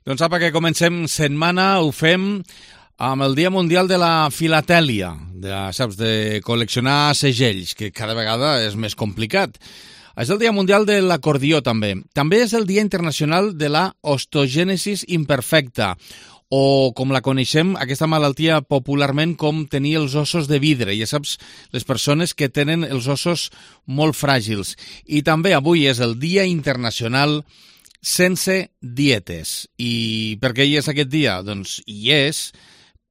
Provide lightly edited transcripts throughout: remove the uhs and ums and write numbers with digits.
Doncs apa, que comencem setmana, ho fem amb el Dia Mundial de la Filatèlia, de col·leccionar segells, que cada vegada és més complicat. És el Dia Mundial de l'Acordió, també. També és el Dia Internacional de la Ostogènesis Imperfecta, o com la coneixem, aquesta malaltia popularment com tenir els ossos de vidre. Ja saps, les persones que tenen els ossos molt fràgils. I també avui és el Dia Internacional sense dietes. I per què hi és aquest dia? Doncs hi és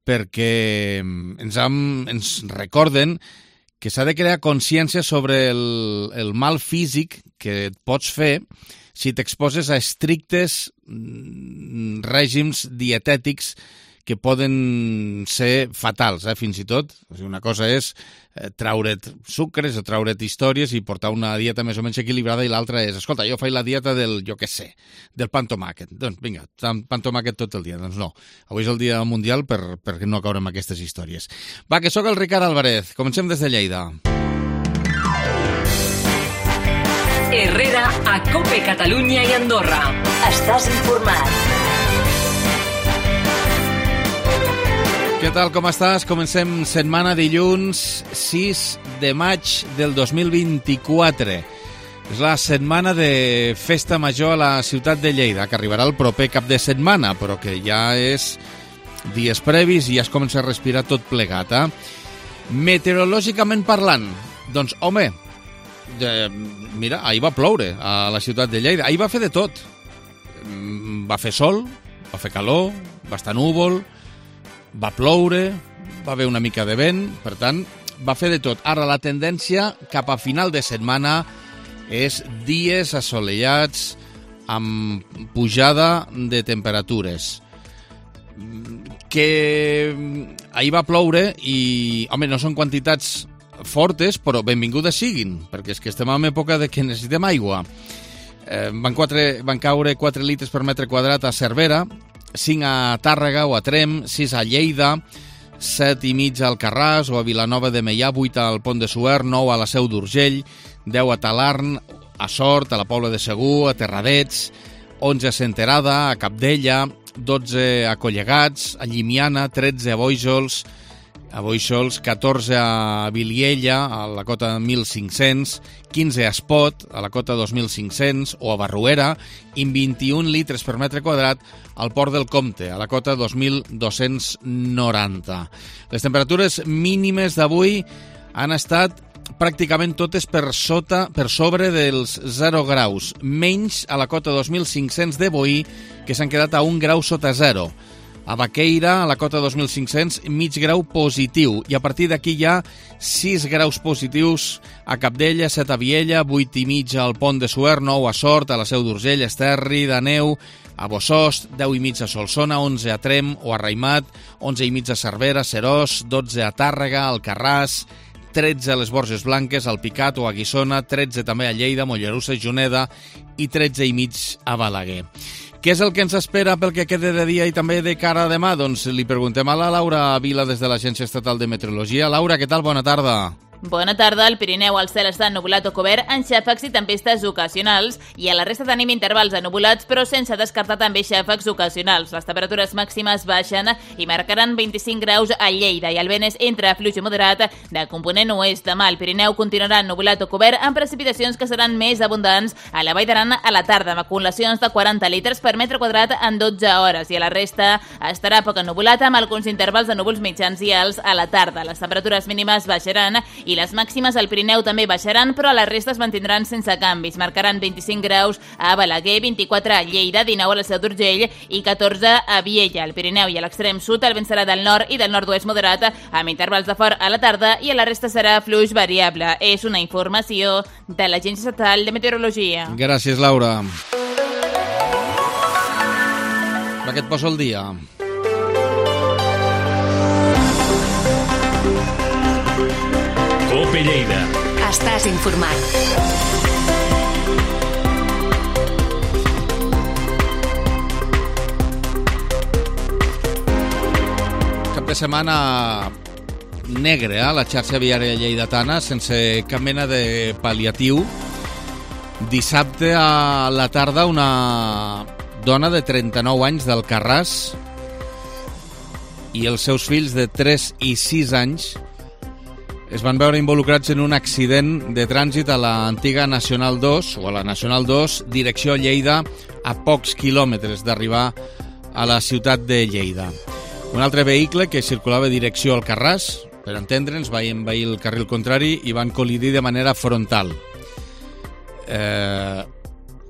perquè ens recorden que s'ha de crear consciència sobre el mal físic que et pots fer si t'exposes a estrictes règims dietètics que poden ser fatals, fins i tot. O sigui, una cosa és traure't sucres o traure't històries i portar una dieta més o menys equilibrada, i l'altra és, escolta, jo faig la dieta del, del pa amb tomàquet. Doncs vinga, pa amb tomàquet tot el dia. Doncs no, avui és el dia mundial per no caure en aquestes històries. Va, que sóc el Ricard Álvarez. Comencem des de Lleida. Herrera a COPE Catalunya i Andorra. Estàs informat. Què tal, com estàs? Comencem setmana, dilluns 6 de maig del 2024. És la setmana de festa major a la ciutat de Lleida, que arribarà el proper cap de setmana, però que ja és dies previs i ja es comença a respirar tot plegat. Meteorològicament parlant, doncs, home, mira, ahir va ploure a la ciutat de Lleida. Ahir va fer de tot. Va fer sol, va fer calor, va estar núvol, va ploure, va haver una mica de vent, per tant, va fer de tot. Ara la tendència cap a final de setmana és dies assolellats amb pujada de temperatures. Que ahir va ploure i, home, no són quantitats fortes, però benvingudes siguin, perquè és que estem en època de que necessitem aigua. Van caure 4 litres per metre quadrat a Cervera, 5 a Tàrrega o a Tremp, 6 a Lleida, 7 i mig al Alcarràs o a Vilanova de Meià, 8 al Pont de Suert, 9 a la Seu d'Urgell, 10 a Talarn, a Sort, a la Pobla de Segur, a Terradets, 11 a Senterada, a Capdella, 12 a Collegats, a Llimiana, 13 a Bóixols, 14 a Viliella, a la cota 1.500, 15 a Espot, a la cota 2.500, o a Barruera, i 21 litres per metre quadrat al Port del Comte, a la cota 2.290. Les temperatures mínimes d'avui han estat pràcticament totes per sobre dels 0 graus, menys a la cota 2.500 de Boí, que s'han quedat a 1 grau sota 0. A Baqueira, a la cota 2.500, mig grau positiu. I a partir d'aquí hi ha 6 graus positius a Capdella, 7 a Viella, 8 i mig al Pont de Suert, 9 a Sort, a la Seu d'Urgell, Esterri, d'Aneu, a Bossòst, 10 i mig a Solsona, 11 a Tremp o a Raimat, 11 i mig a Cervera, Seròs, 12 a Tàrrega, Alcarràs, 13 a les Borges Blanques, al Picat o a Guissona, 13 també a Lleida, Mollerussa i Juneda i 13 i mig a Balaguer. Què és el que ens espera pel que quede de dia i també de cara a demà? Doncs li preguntem a la Laura Vila des de l'Agència Estatal de Meteorologia. Laura, què tal? Bona tarda. Bona tarda. Al Pirineu el cel està ennubulat o cobert amb xàfecs i tempestes ocasionals, i a la resta tenim intervals ennubolats però sense descartar també xàfecs ocasionals. Les temperatures màximes baixen i marcaran 25 graus a Lleida, i el vent és entre fluix i moderat de component oest. Demà el Pirineu continuarà ennubulat o cobert amb precipitacions que seran més abundants a la Vall d'Aran a la tarda, amb acumulacions de 40 litres per metre quadrat en 12 hores, i a la resta estarà poc ennubulat amb alguns intervals de núvols mitjans i alts a la tarda. Les temperatures mínimes baixaran i les màximes al Pirineu també baixaran, però a la resta es mantindran sense canvis. Marcaran 25 graus a Balaguer, 24 a Lleida, 19 a la Seu d'Urgell i 14 a Viella. Al Pirineu i a l'extrem sud el vent serà del nord i del nord-oest moderat, amb intervals de fort a la tarda, i a la resta serà fluix variable. És una informació de l'Agència Estatal de Meteorologia. Gràcies, Laura. Va, que et poso el dia. COPE Lleida. Estàs informat. Cap de setmana negre, la xarxa viària lleidatana, sense cap mena de pal·liatiu. Dissabte a la tarda una dona de 39 anys d'Alcarràs, i els seus fills de 3 i 6 anys es van veure involucrats en un accident de trànsit a l'antiga Nacional 2, o a la Nacional 2, direcció Lleida, a pocs quilòmetres d'arribar a la ciutat de Lleida. Un altre vehicle que circulava direcció Alcarràs, per entendre'ns, va envair el carril contrari i van col·lidir de manera frontal.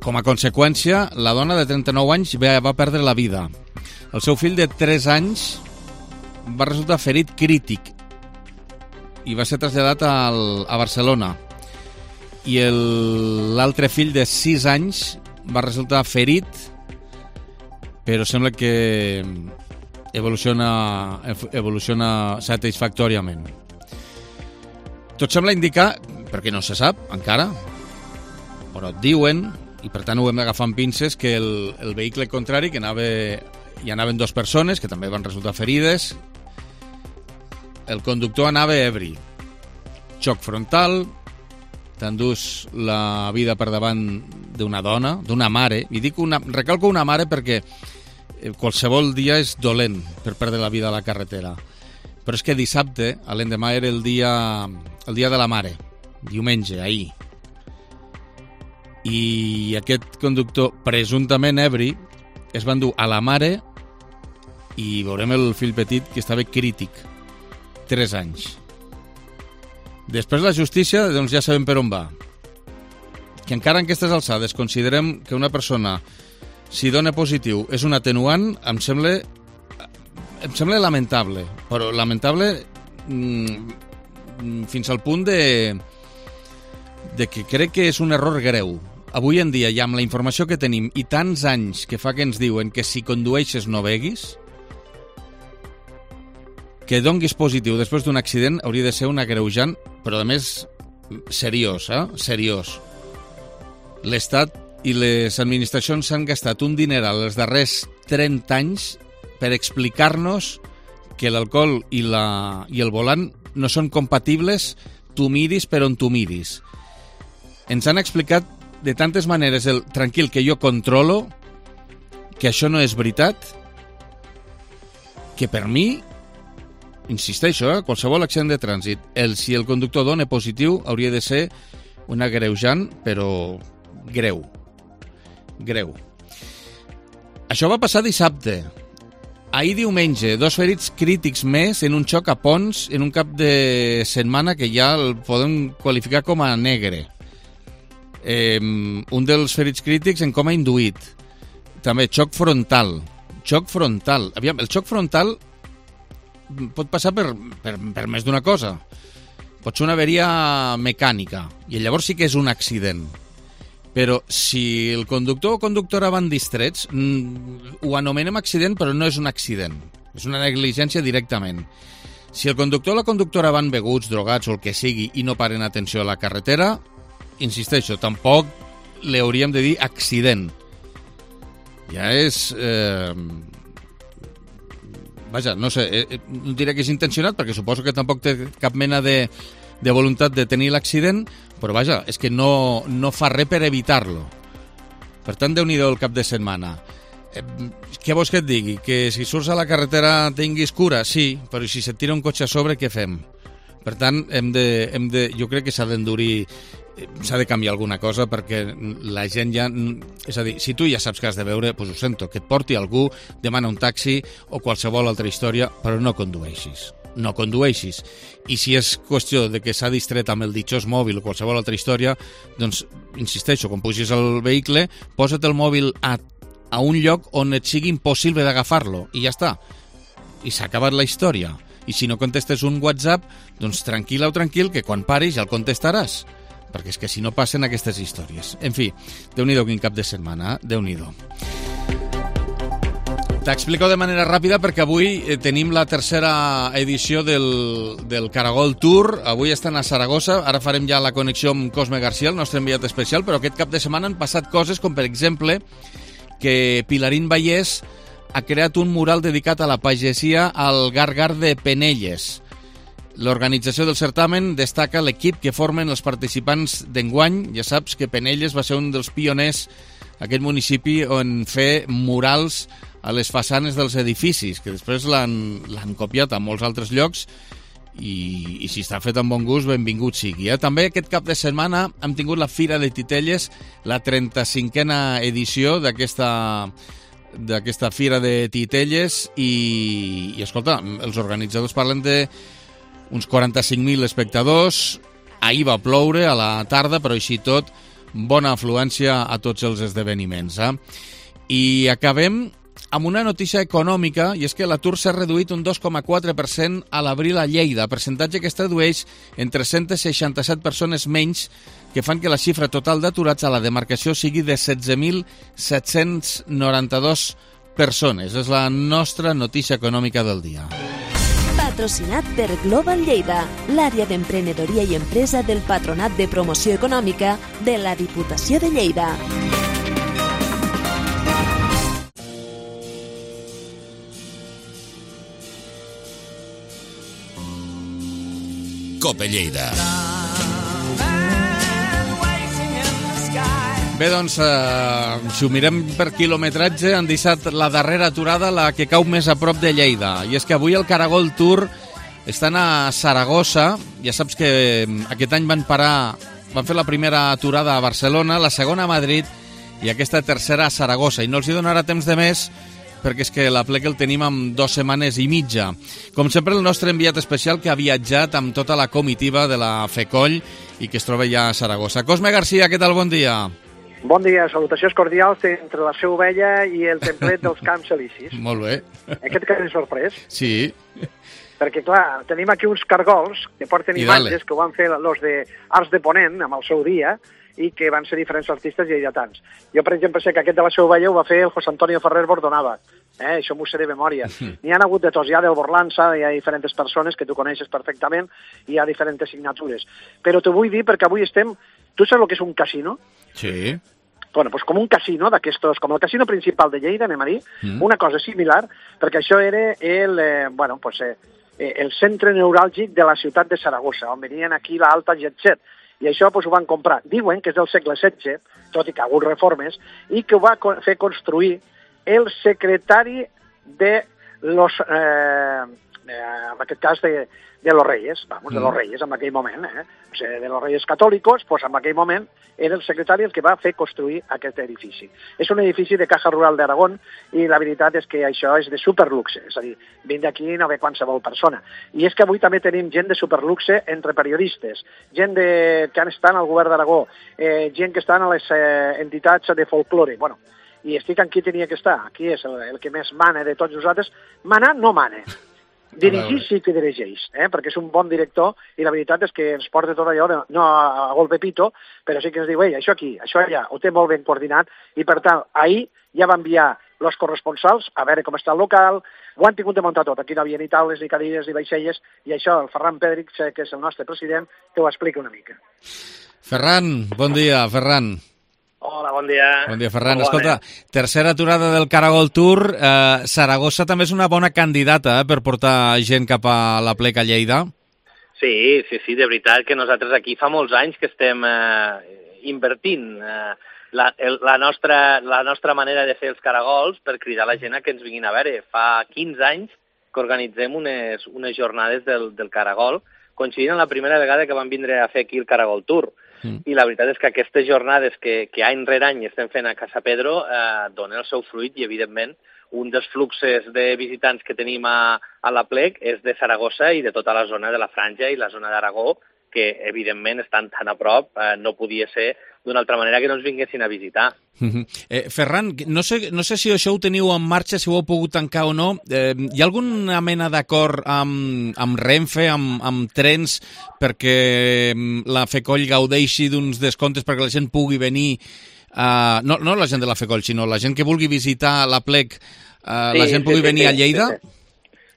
Com a conseqüència, la dona de 39 anys va perdre la vida. El seu fill de 3 anys va resultar ferit crític i va ser traslladat a Barcelona. I l'altre fill de 6 anys va resultar ferit, però sembla que evoluciona satisfactòriament. Tot sembla indicar, perquè no se sap encara, però diuen, i per tant ho hem d'agafar amb pinces, que el vehicle contrari, que hi anaven 2 persones, que també van resultar ferides, el conductor anava ebri. Xoc frontal, t'endús la vida per davant d'una dona, d'una mare, i recalco una mare perquè qualsevol dia és dolent per perdre la vida a la carretera. Però és que dissabte, a l'endemà, era el dia de la mare, diumenge, ahir. I aquest conductor, presumptament ebri, es va endur a la mare i veurem el fill petit, que estava crític, 3 anys. Després la justícia, doncs ja sabem per on va. Que encara en aquestes alçades considerem que una persona, si dona positiu, és un atenuant, em sembla lamentable, però lamentable fins al punt de que crec que és un error greu. Avui en dia, ja amb la informació que tenim i tants anys que fa que ens diuen que si condueixes no beguis, que donguis positiu després d'un accident hauria de ser un agreujant, però a més seriós, seriós. L'Estat i les administracions s'han gastat un dineral els darrers 30 anys per explicar-nos que l'alcohol i el volant no són compatibles, tu miris per on tu miris. Ens han explicat de tantes maneres el tranquil que jo controlo, que això no és veritat, que per mi, insisteixo, qualsevol accident de trànsit, si el conductor dona positiu, hauria de ser un agreujant, però greu. Greu. Això va passar dissabte. Ahir diumenge, 2 ferits crítics més en un xoc a Pons en un cap de setmana que ja el podem qualificar com a negre. Un dels ferits crítics en coma induït. També xoc frontal. Aviam, el xoc frontal pot passar per més d'una cosa. Pot ser una averia mecànica i llavors sí que és un accident. Però si el conductor o conductora van distrets, ho anomenem accident, però no és un accident. És una negligència directament. Si el conductor o la conductora van beguts, drogats o el que sigui i no paren atenció a la carretera, insisteixo, tampoc li hauríem de dir accident. Ja és... Vaja, no sé, no diré que és intencionat, perquè suposo que tampoc té cap mena de voluntat de tenir l'accident, però vaja, és que no fa res per evitar-lo. Per tant, Déu-n'hi-do el cap de setmana. Què vols que et digui? Que si surts a la carretera tinguis cura? Sí, però si se't tira un cotxe a sobre, què fem? Per tant, jo crec que s'ha d'endurir, s'ha de canviar alguna cosa, perquè la gent ja... És a dir, si tu ja saps que has de beure, doncs ho sento, que et porti algú, demana un taxi o qualsevol altra història, però no condueixis. No condueixis. I si és qüestió de que s'ha distret amb el ditxós mòbil o qualsevol altra història, doncs, insisteixo, quan pugis al vehicle, posa't el mòbil a un lloc on et sigui impossible d'agafar-lo, i ja està. I s'ha acabat la història. I si no contestes un WhatsApp, doncs tranquil·la o tranquil, que quan paris ja el contestaràs. Perquè és que si no passen aquestes històries. En fi, Déu-n'hi-do quin cap de setmana, Déu-n'hi-do. T'explico de manera ràpida perquè avui tenim la tercera edició del Caragol Tour. Avui estan a Saragossa, ara farem ja la connexió amb Cosme García, el nostre enviat especial, però aquest cap de setmana han passat coses com, per exemple, que Pilarín Vallès ha creat un mural dedicat a la pagesia al Gargar de Penelles. L'organització del certamen destaca l'equip que formen els participants d'enguany. Ja saps que Penelles va ser un dels pioners aquest municipi on fer murals a les façanes dels edificis, que després l'han copiat a molts altres llocs, i si està fet amb bon gust, benvingut sigui. També aquest cap de setmana hem tingut la Fira de Titelles, la 35a edició d'aquesta Fira de Titelles, i escolta, els organitzadors parlen d'uns 45.000 espectadors. Ahir va ploure a la tarda, però així tot, bona afluència a tots els esdeveniments. I acabem amb una notícia econòmica, i és que l'atur s'ha reduït un 2,4% a l'abril a Lleida, percentatge que es tradueix en 367 persones menys, que fan que la xifra total d'aturats a la demarcació sigui de 16.792 persones. És la nostra notícia econòmica del dia. Patrocinat per Global Lleida, l'àrea d'emprenedoria i empresa del Patronat de Promoció Econòmica de la Diputació de Lleida. Cope Lleida. Bé, doncs, si ho mirem per quilometratge, han deixat la darrera aturada, la que cau més a prop de Lleida. I és que avui el Caragol Tour estan a Saragossa. Ja saps que aquest any van fer la primera aturada a Barcelona, la segona a Madrid i aquesta tercera a Saragossa. I no els hi donarà temps de més, perquè és que l'aplec el tenim en 2 setmanes i mitja. Com sempre, el nostre enviat especial que ha viatjat amb tota la comitiva de la FECOLL i que es troba ja a Saragossa. Cosme Garcia, què tal? Bon dia. Bon dia, salutacions cordials entre la seu vella i el templet dels Camps Elisis. Molt bé. Aquest que és sorprès. Sí. Perquè, clar, tenim aquí uns cargols que porten imatges que ho van fer els de Arts de Ponent amb el seu dia, i que van ser diferents artistes lleidatans. Jo, per exemple, sé que aquest de la Seu Vella ho va fer el José Antonio Ferrer Bordonava. Això m'ho sé de memòria. N'hi ha hagut de tots, hi ha del Borlança, hi ha diferents persones que tu coneixes perfectament, i hi ha diferents signatures. Però t'ho vull dir perquè avui estem... Tu saps el que és un casino? Sí. Bueno, doncs com un casino d'aquestos, com el casino principal de Lleida, anem a dir, una cosa similar, perquè això era el centre neuràlgic de la ciutat de Saragossa, on venien aquí l'alta jet set. I això ho van comprar. Diuen que és del segle XVI, tot i que ha hagut reformes, i que ho va fer construir el secretari de los... en aquest cas de los Reyes, de los Reyes en aquell moment, o sigui, de los Reyes Catòlicos, doncs en aquell moment era el secretari el que va fer construir aquest edifici. És un edifici de Caja Rural d'Aragón i la veritat és que això és de superluxe, és a dir, vine d'aquí no ve qualsevol persona. I és que avui també tenim gent de superluxe entre periodistes, gent que han estat al govern d'Aragó, gent que estan a les entitats de folklore, bueno, i estic en qui tenia que estar, aquí és el que més mana de tots nosaltres. Manar no mana. Dirigir sí que dirigeix, perquè és un bon director i la veritat és que ens porta tot allò, no a golpe pito, però sí que ens diu, ei, això aquí, això allà, ho té molt ben coordinat, i per tant, ahir ja va enviar els corresponsals a veure com està el local, ho han tingut de muntar tot, aquí no havia ni taules, ni cadires, ni vaixelles, i això el Ferran Pedric, que és el nostre president, que ho explica una mica. Ferran, bon dia, Ferran. Hola, bon dia. Bon dia, Ferran. Escolta, tercera aturada del Caragol Tour. Saragossa també és una bona candidata per portar gent cap a l'aplec a Lleida. Sí, de veritat que nosaltres aquí fa molts anys que estem invertint la nostra manera de fer els caragols per cridar la gent a que ens vinguin a veure. Fa 15 anys que organitzem unes jornades del Caragol, coincidint amb la primera vegada que van vindre a fer aquí el Caragol Tour. I la veritat és que aquestes jornades que any rere any estem fent a Casa Pedro donen el seu fruit i, evidentment, un dels fluxes de visitants que tenim a l'aplec és de Saragossa i de tota la zona de la Franja i la zona d'Aragó, que, evidentment, estan tan a prop, no podia ser d'una altra manera que no ens vinguessin a visitar. Ferran, no sé si això ho teniu en marxa, si ho heu pogut tancar o no. Hi ha alguna mena d'acord amb Renfe, amb trens, perquè la FECOLL gaudeixi d'uns descomptes perquè la gent pugui venir, no la gent de la FECOLL, sinó la gent que vulgui visitar l'aplec, la gent pugui venir a Lleida?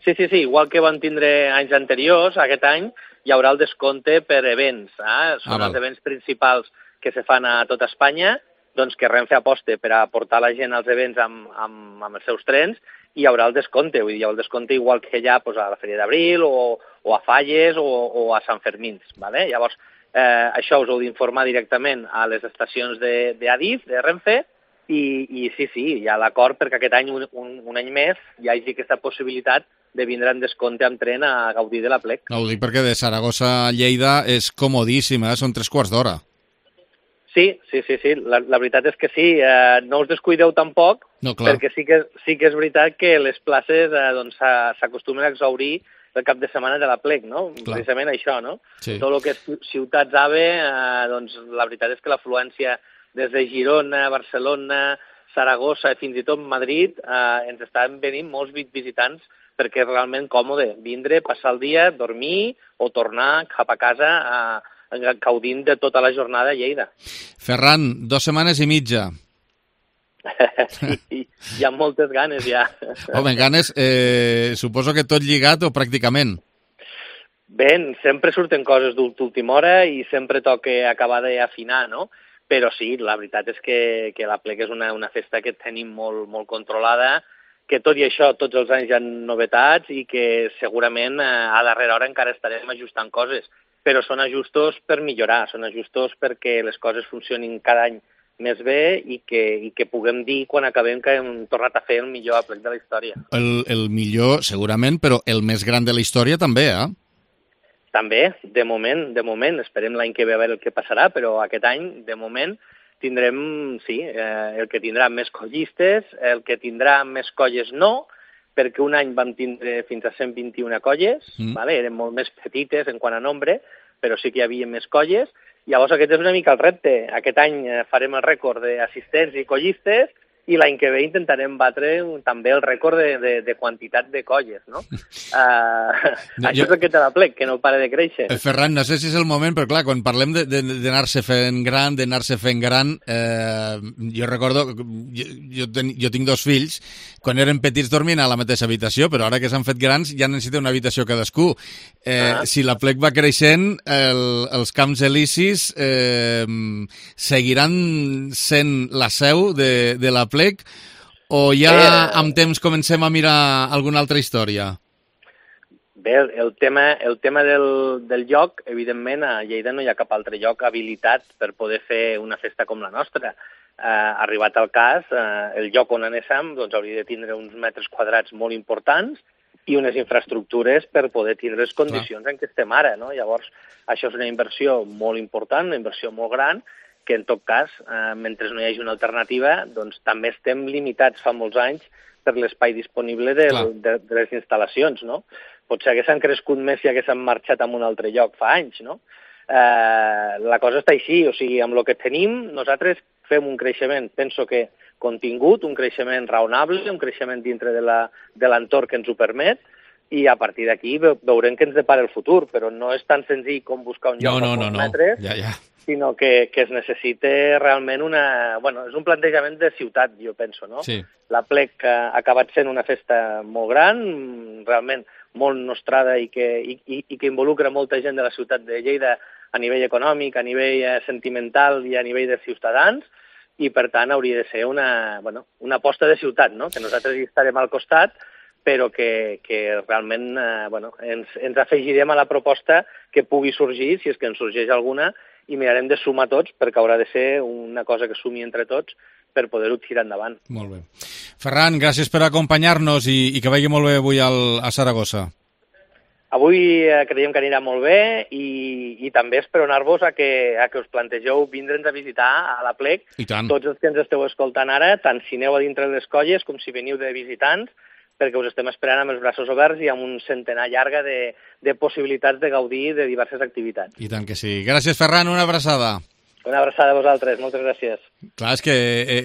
Sí, igual que van tindre anys anteriors, aquest any hi haurà el descompte per events. Són els events principals que se fan a tota Espanya, doncs que Renfe aposta per a portar la gent als events amb els seus trens, i hi haurà el descompte. Vull dir, hi ha el descompte igual que hi ha a la Fèria d'Abril o a Falles o a Sant Fermins. Vale? Llavors, això us heu d'informar directament a les estacions d'Adif, de Renfe, i sí, hi ha l'acord perquè aquest any, un any més, hi hagi aquesta possibilitat de vindre en descompte amb tren a gaudir de l'Aplec. No, ho dic perquè de Saragossa a Lleida és comodíssima, són 3 quarts d'hora. Sí, la veritat és que sí, no us descuideu tampoc, No, clar. perquè sí que és veritat que les places s'acostumen a exhaurir el cap de setmana de l'Aplec, no? Clar. Precisament això, no? Sí. Tot el que és ciutats AVE, doncs la veritat és que l'afluència des de Girona, Barcelona, Saragossa i fins i tot Madrid ens estan venint molts visitants perquè és realment còmode vindre, passar el dia, dormir o tornar cap a casa gaudint de tota la jornada a Lleida. Ferran, 2 setmanes i mitja. Sí, hi ha moltes ganes ja. Home, ganes, suposo que tot lligat o pràcticament. Bé, sempre surten coses d'última hora i sempre toca acabar d'afinar, no? Però sí, la veritat és que l'Aplec és una festa que tenim molt, molt controlada, que tot i això tots els anys hi ha novetats i que segurament a darrera hora encara estarem ajustant coses, però són ajustos per millorar, són ajustos perquè les coses funcionin cada any més bé i que puguem dir quan acabem que hem tornat a fer el millor Aplec de la història. El millor, segurament, però el més gran de la història també, eh? També, de moment, esperem l'any que ve a veure el que passarà, però aquest any, de moment, tindrem, sí, el que tindrà més collistes, el que tindrà més colles no, perquè un any vam tindre fins a 121 colles, vale? Eren molt més petites en quant a nombre, però sí que hi havia més colles. Llavors aquest és una mica el repte. Aquest any farem el rècord d'assistents i collistes i l'any que ve intentarem batre també el rècord de quantitat de colles, no? Això és el que té l'Aplec, que no para de créixer. Ferran, no sé si és el moment, però clar, quan parlem d'anar-se fent gran, jo recordo, jo tinc 2 fills, quan eren petits dormien a la mateixa habitació, però ara que s'han fet grans ja necessiten una habitació cadascú. Si l'Aplec va creixent, els Camps Elisis seguiran sent la seu de l'Aplec o ja amb temps comencem a mirar alguna altra història? Bé, el tema del lloc, evidentment, a Lleida no hi ha cap altre lloc habilitat per poder fer una festa com la nostra. Arribat al cas, el lloc on anéssim doncs, hauria de tindre uns metres quadrats molt importants i unes infraestructures per poder tindre les condicions en què estem ara, no? Llavors, això és una inversió molt important, una inversió molt gran, que en tot cas, mentre no hi hagi una alternativa, doncs també estem limitats fa molts anys per l'espai disponible de les instal·lacions, no? Potser haguessin crescut més si haguessin marxat a un altre lloc fa anys, no? La cosa està així, o sigui, amb el que tenim, nosaltres fem un creixement, penso que contingut, un creixement raonable, un creixement dintre de l'entorn que ens ho permet, i a partir d'aquí veurem què ens depara el futur, però no és tan senzill com buscar un lloc a molts metres, sinó que es necessita realment és un plantejament de ciutat, jo penso, no? Sí. L'Aplec ha acabat sent una festa molt gran, realment molt nostrada i que involucra molta gent de la ciutat de Lleida a nivell econòmic, a nivell sentimental i a nivell de ciutadans, i per tant hauria de ser una aposta de ciutat, no? Que nosaltres hi estarem al costat, però que realment ens afegirem a la proposta que pugui sorgir, si és que en sorgeix alguna, i mirarem de sumar tots, perquè haurà de ser una cosa que sumi entre tots per poder-ho tirar endavant. Molt bé. Ferran, gràcies per acompanyar-nos i que vagi molt bé avui a Saragossa. Avui creiem que anirà molt bé i també esperonar-vos a que us plantegeu vindre'ns a visitar a l'Aplec. Tots els que ens esteu escoltant ara, tant si aneu a dintre de les colles com si veniu de visitants, perquè us estem esperant amb els braços oberts i amb un centenar llarga de possibilitats de gaudir de diverses activitats. I tant que sí. Gràcies, Ferran, una abraçada. Una abraçada a vosaltres, moltes gràcies. Clar, és que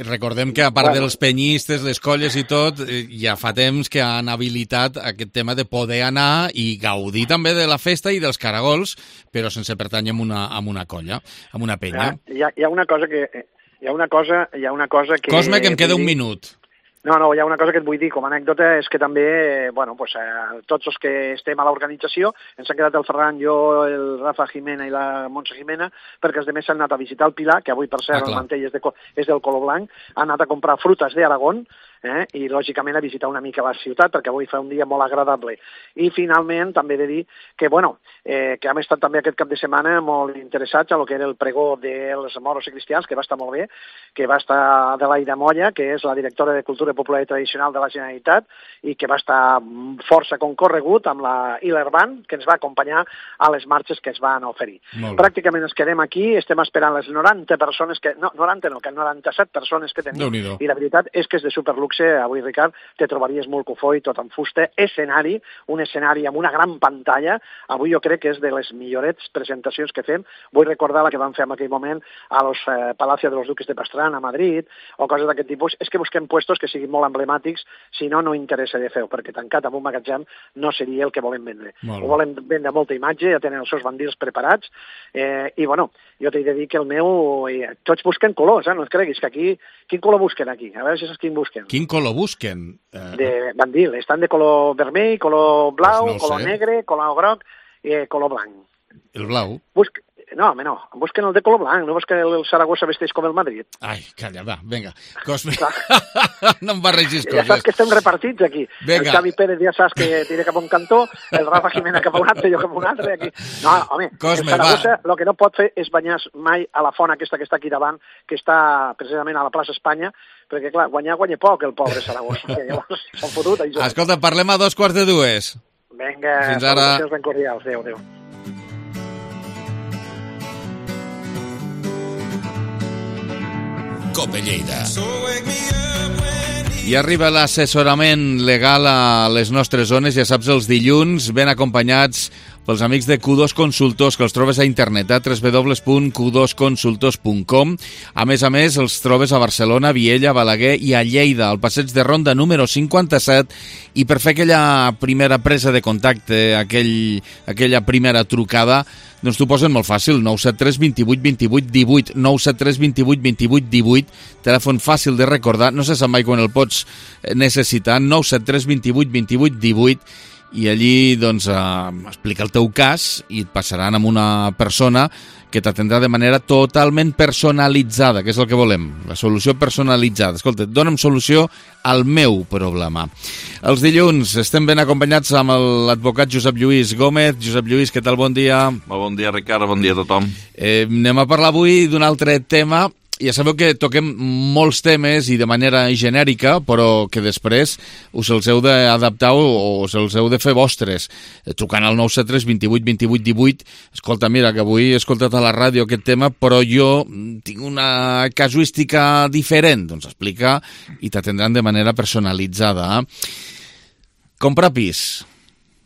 recordem que a part dels penyistes, les colles i tot, ja fa temps que han habilitat aquest tema de poder anar i gaudir també de la festa i dels caragols, però sense pertànyer a una colla, a una penya. Hi ha una cosa que... Cosme, que em queda un minut. No, hi ha una cosa que et vull dir com a anècdota, és que també, tots els que estem a l'organització, ens ha quedat el Ferran, jo, el Rafa Jimena i la Montse Jimena, perquè els demés han anat a visitar el Pilar, que avui, per cert, el mantell és del color blanc, han anat a comprar frutes d'Aragón, i lògicament a visitar una mica la ciutat, perquè avui fa un dia molt agradable. I finalment també he de dir que, que hem estat també aquest cap de setmana molt interessats a lo que era el pregó dels moros i cristians, que va estar molt bé, que va estar Adelaida Molla, que és la directora de Cultura Popular i Tradicional de la Generalitat, i que va estar força concorregut amb la Hiller Band, que ens va acompanyar a les marxes que es van oferir. Pràcticament ens quedem aquí, estem esperant les 90 persones, que 97 persones que tenim, i la veritat és que és de superluxe. Avui, Ricard, te trobaries molt cofoi, tot en fusta, un escenari amb una gran pantalla. Avui jo crec que és de les millorets presentacions que fem. Vull recordar la que vam fer en aquell moment a los Palacio de los Duques de Pastrana, a Madrid, o coses d'aquest tipus. És que busquem puestos que siguin molt emblemàtics, si no, no interessa de fer-ho, perquè tancat amb un magatzem no seria el que volem vendre. Ho volem vendre molta imatge, ja tenen els seus bandils preparats, i jo t'he de dir que el meu... Tots busquen colors, no et creguis, que aquí... Quin color busquen aquí? A veure si saps quin busquen. Quin color busquen? De bandil. Estan de color vermell, color blau, color negre, color groc i color blanc. El blau? No, home, no. Busquen el de color blanc, no busquen el Saragossa vesteix com el Madrid. Ai, calla, va, vinga. No em barregis coses. Ja saps que estem repartits aquí. Venga. El Xavi Pérez ja saps que tira cap a un cantó, el Rafa Jimena cap a un altre, jo cap a un altre. Aquí. No, home, Cosme, el Saragossa el que no pot fer és banyar mai a la font aquesta que està aquí davant, que està precisament a la plaça Espanya, perquè, clar, guanya poc el pobre Saragossa. Llavors, s'han fotut. Escolta, parlem a 2:45. Vinga, fins ara. Salutacions ben cordials. Adéu. Cope Lleida. I arriba l'assessorament legal a les nostres zones, ja saps, els dilluns, ben acompanyats pels amics de Q2 Consultors, que els trobes a internet, a www.q2consultors.com. A més, els trobes a Barcelona, Viella, Balaguer i a Lleida, al passeig de Ronda número 57, i per fer aquella primera presa de contacte, aquella primera trucada, doncs t'ho posen molt fàcil, 973 28 28 18, 973 28 28 18, telèfon fàcil de recordar, no se sap mai quan el pots necessitar, 973 28 28 18, i allí doncs explica el teu cas i et passaran amb una persona que t'atendrà de manera totalment personalitzada, que és el que volem, la solució personalitzada. Escolta, dona'm solució al meu problema. Els dilluns estem ben acompanyats amb l'advocat Josep Lluís Gómez. Josep Lluís, què tal? Bon dia. Molt bon dia, Ricard, bon dia a tothom. Anem a parlar avui d'un altre tema. Ja sabeu que toquem molts temes i de manera genèrica, però que després us els heu d'adaptar o us els heu de fer vostres. Trucant al 973 28 28 18. Escolta, mira, que avui he escoltat a la ràdio aquest tema, però jo tinc una casuística diferent. Doncs explica i t'atendran de manera personalitzada. Comprar pis.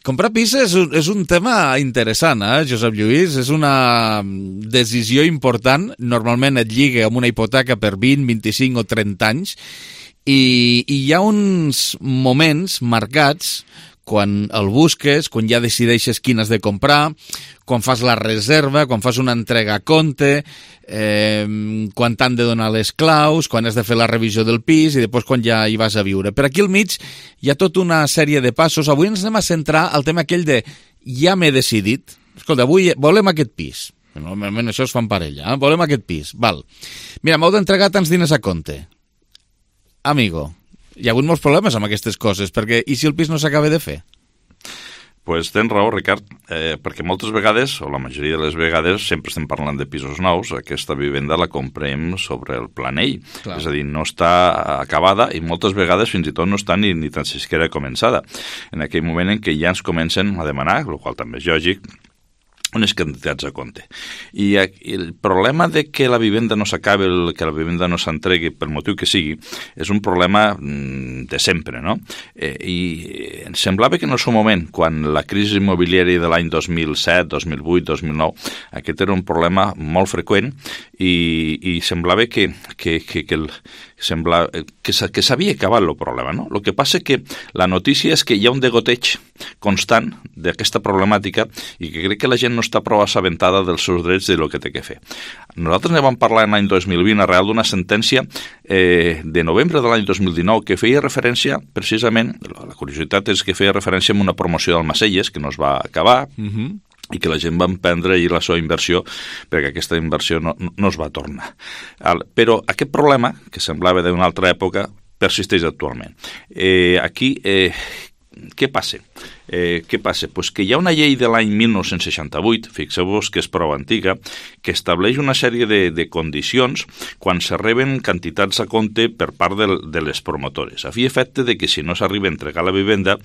Comprar pis és un tema interessant, Josep Lluís? És una decisió important. Normalment et lliga amb una hipoteca per 20, 25 o 30 anys. I hi ha uns moments marcats quan el busques, quan ja decideixes quin has de comprar, quan fas la reserva, quan fas una entrega a compte, quan t'han de donar les claus, quan has de fer la revisió del pis i després quan ja hi vas a viure. Per aquí al mig hi ha tota una sèrie de passos. Avui ens anem a centrar al tema aquell de ja m'he decidit. Escolta, avui volem aquest pis. Normalment això es fa en parella. Volem aquest pis. Val. Mira, m'heu d'entregar tants diners a compte. Amigo, hi ha hagut molts problemes amb aquestes coses, perquè i si el pis no s'acaba de fer? Pues tens raó, Ricard, perquè moltes vegades, o la majoria de les vegades, sempre estem parlant de pisos nous. Aquesta vivenda la comprem sobre el planell. Clar. És a dir, no està acabada i moltes vegades fins i tot no està ni tan siquiera començada. En aquell moment en què ja ens comencen a demanar, el qual també és lògic, unes quantitats a compte. I el problema de que la vivenda no s'acabi, que la vivenda no s'entregui pel motiu que sigui, és un problema de sempre, no? I em semblava que en el seu moment, quan la crisi immobiliària de l'any 2007, 2008, 2009, aquest era un problema molt freqüent i semblava que s'havia acabat el problema, no? El que passa que la notícia és que hi ha un degoteig constant d'aquesta problemàtica i que crec que la gent no està prou assabentada dels seus drets i del que té que fer. Nosaltres ne vam parlar l'any 2020 arrel d'una sentència de novembre de l'any 2019 que feia referència, precisament, la curiositat és que feia referència a una promoció d'Almacelles que no es va acabar, i que la gent va emprendre ahir la seva inversió perquè aquesta inversió no es va tornar. Però aquest problema, que semblava d'una altra època, persisteix actualment. Aquí, què passa? Pues que hi ha una llei de l'any 1968, fixeu-vos que és prou antiga, que estableix una sèrie de condicions quan se reben quantitats a compte per part de les promotores, a fi efecte de que si no s'arriba a entregar la vivenda,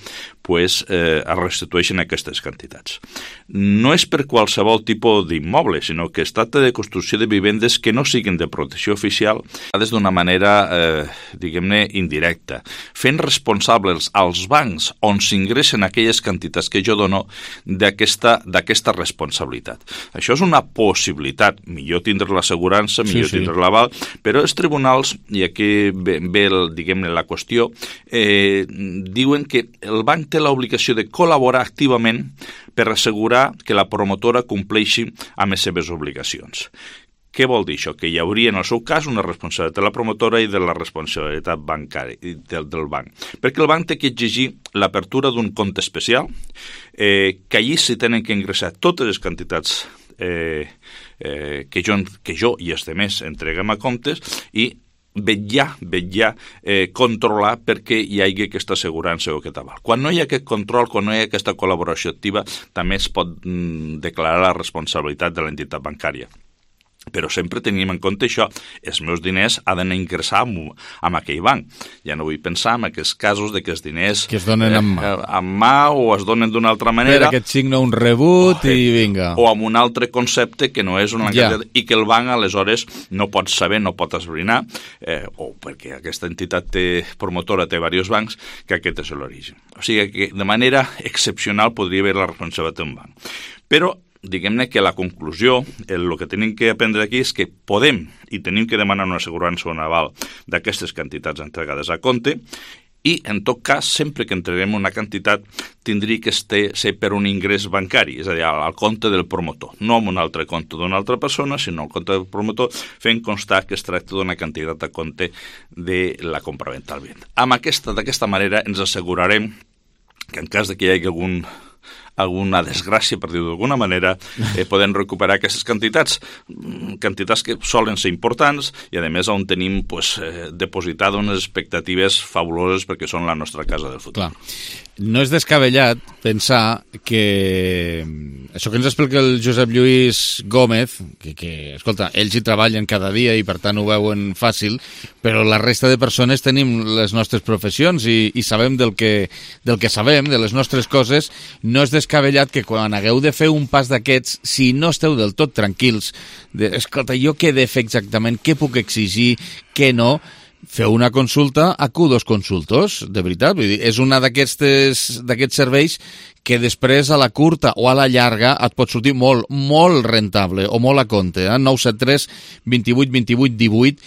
pues es restitueixen aquestes quantitats. No és per qualsevol tipus d'immoble, sinó que es tracta de construcció de vivendes que no siguin de protecció oficial, des d'una manera, diguem-ne, indirecta, fent responsables als bancs on s'ingressen aquelles quantitats que jo dono d'aquesta responsabilitat. Això és una possibilitat. Millor tindre l'assegurança, millor tindre l'aval, però els tribunals, i aquí ve diguem-ne, la qüestió, diuen que el banc té l'obligació de col·laborar activament per assegurar que la promotora compleixi amb les seves obligacions. Què vol dir això? Que hi hauria, en el seu cas, una responsabilitat de la promotora i de la responsabilitat bancària del banc. Perquè el banc té que exigir l'apertura d'un compte especial, que allí s'hi tenen que ingressar totes les quantitats que jo i els altres entreguem a comptes i vetllar, controlar perquè hi hagi aquesta assegurança o aquest aval. Quan no hi ha aquest control, quan no hi ha aquesta col·laboració activa, també es pot declarar la responsabilitat de l'entitat bancària. Però sempre tenim en compte això, els meus diners han d'anar a ingressar en aquell banc. Ja no vull pensar en aquests casos de que els diners que es donen en mà o es donen d'una altra manera. Per aquest signa un rebut i vinga. O amb un altre concepte que no és una i que el banc aleshores no pot saber, no pot esbrinar, o perquè aquesta entitat promotora té diversos bancs, que aquest és l'origen. O sigui que de manera excepcional podria haver la responsabilitat d'un banc. Però diguem-ne que la conclusió, el que tenim que aprendre aquí és que podem i tenim que demanar una assegurança o un aval d'aquestes quantitats entregades a compte i, en tot cas, sempre que entreguem una quantitat, tindria que ser per un ingrés bancari, és a dir, al compte del promotor, no en un altre compte d'una altra persona, sinó al compte del promotor, fent constar que es tracta d'una quantitat a compte de la compraventa al bé. D'aquesta manera ens assegurarem que en cas de que hi hagi alguna desgràcia, per dir-ho d'alguna manera, podem recuperar aquestes quantitats que solen ser importants i, a més, on tenim depositades unes expectatives fabuloses perquè són la nostra casa del futur. Clar. No és descabellat pensar que això que ens explica el Josep Lluís Gómez, que escolta, ells hi treballen cada dia i per tant ho veuen fàcil, però la resta de persones tenim les nostres professions i sabem del que sabem, de les nostres coses. No és descabellat que quan hagueu de fer un pas d'aquests, si no esteu del tot tranquils, escolta, jo què he de fer exactament, què puc exigir, què no, feu una consulta a Q2 Consultors, de veritat. Vull dir, és una d'aquests serveis que després a la curta o a la llarga et pot sortir molt, molt rentable o molt a compte. 973 28 28 18.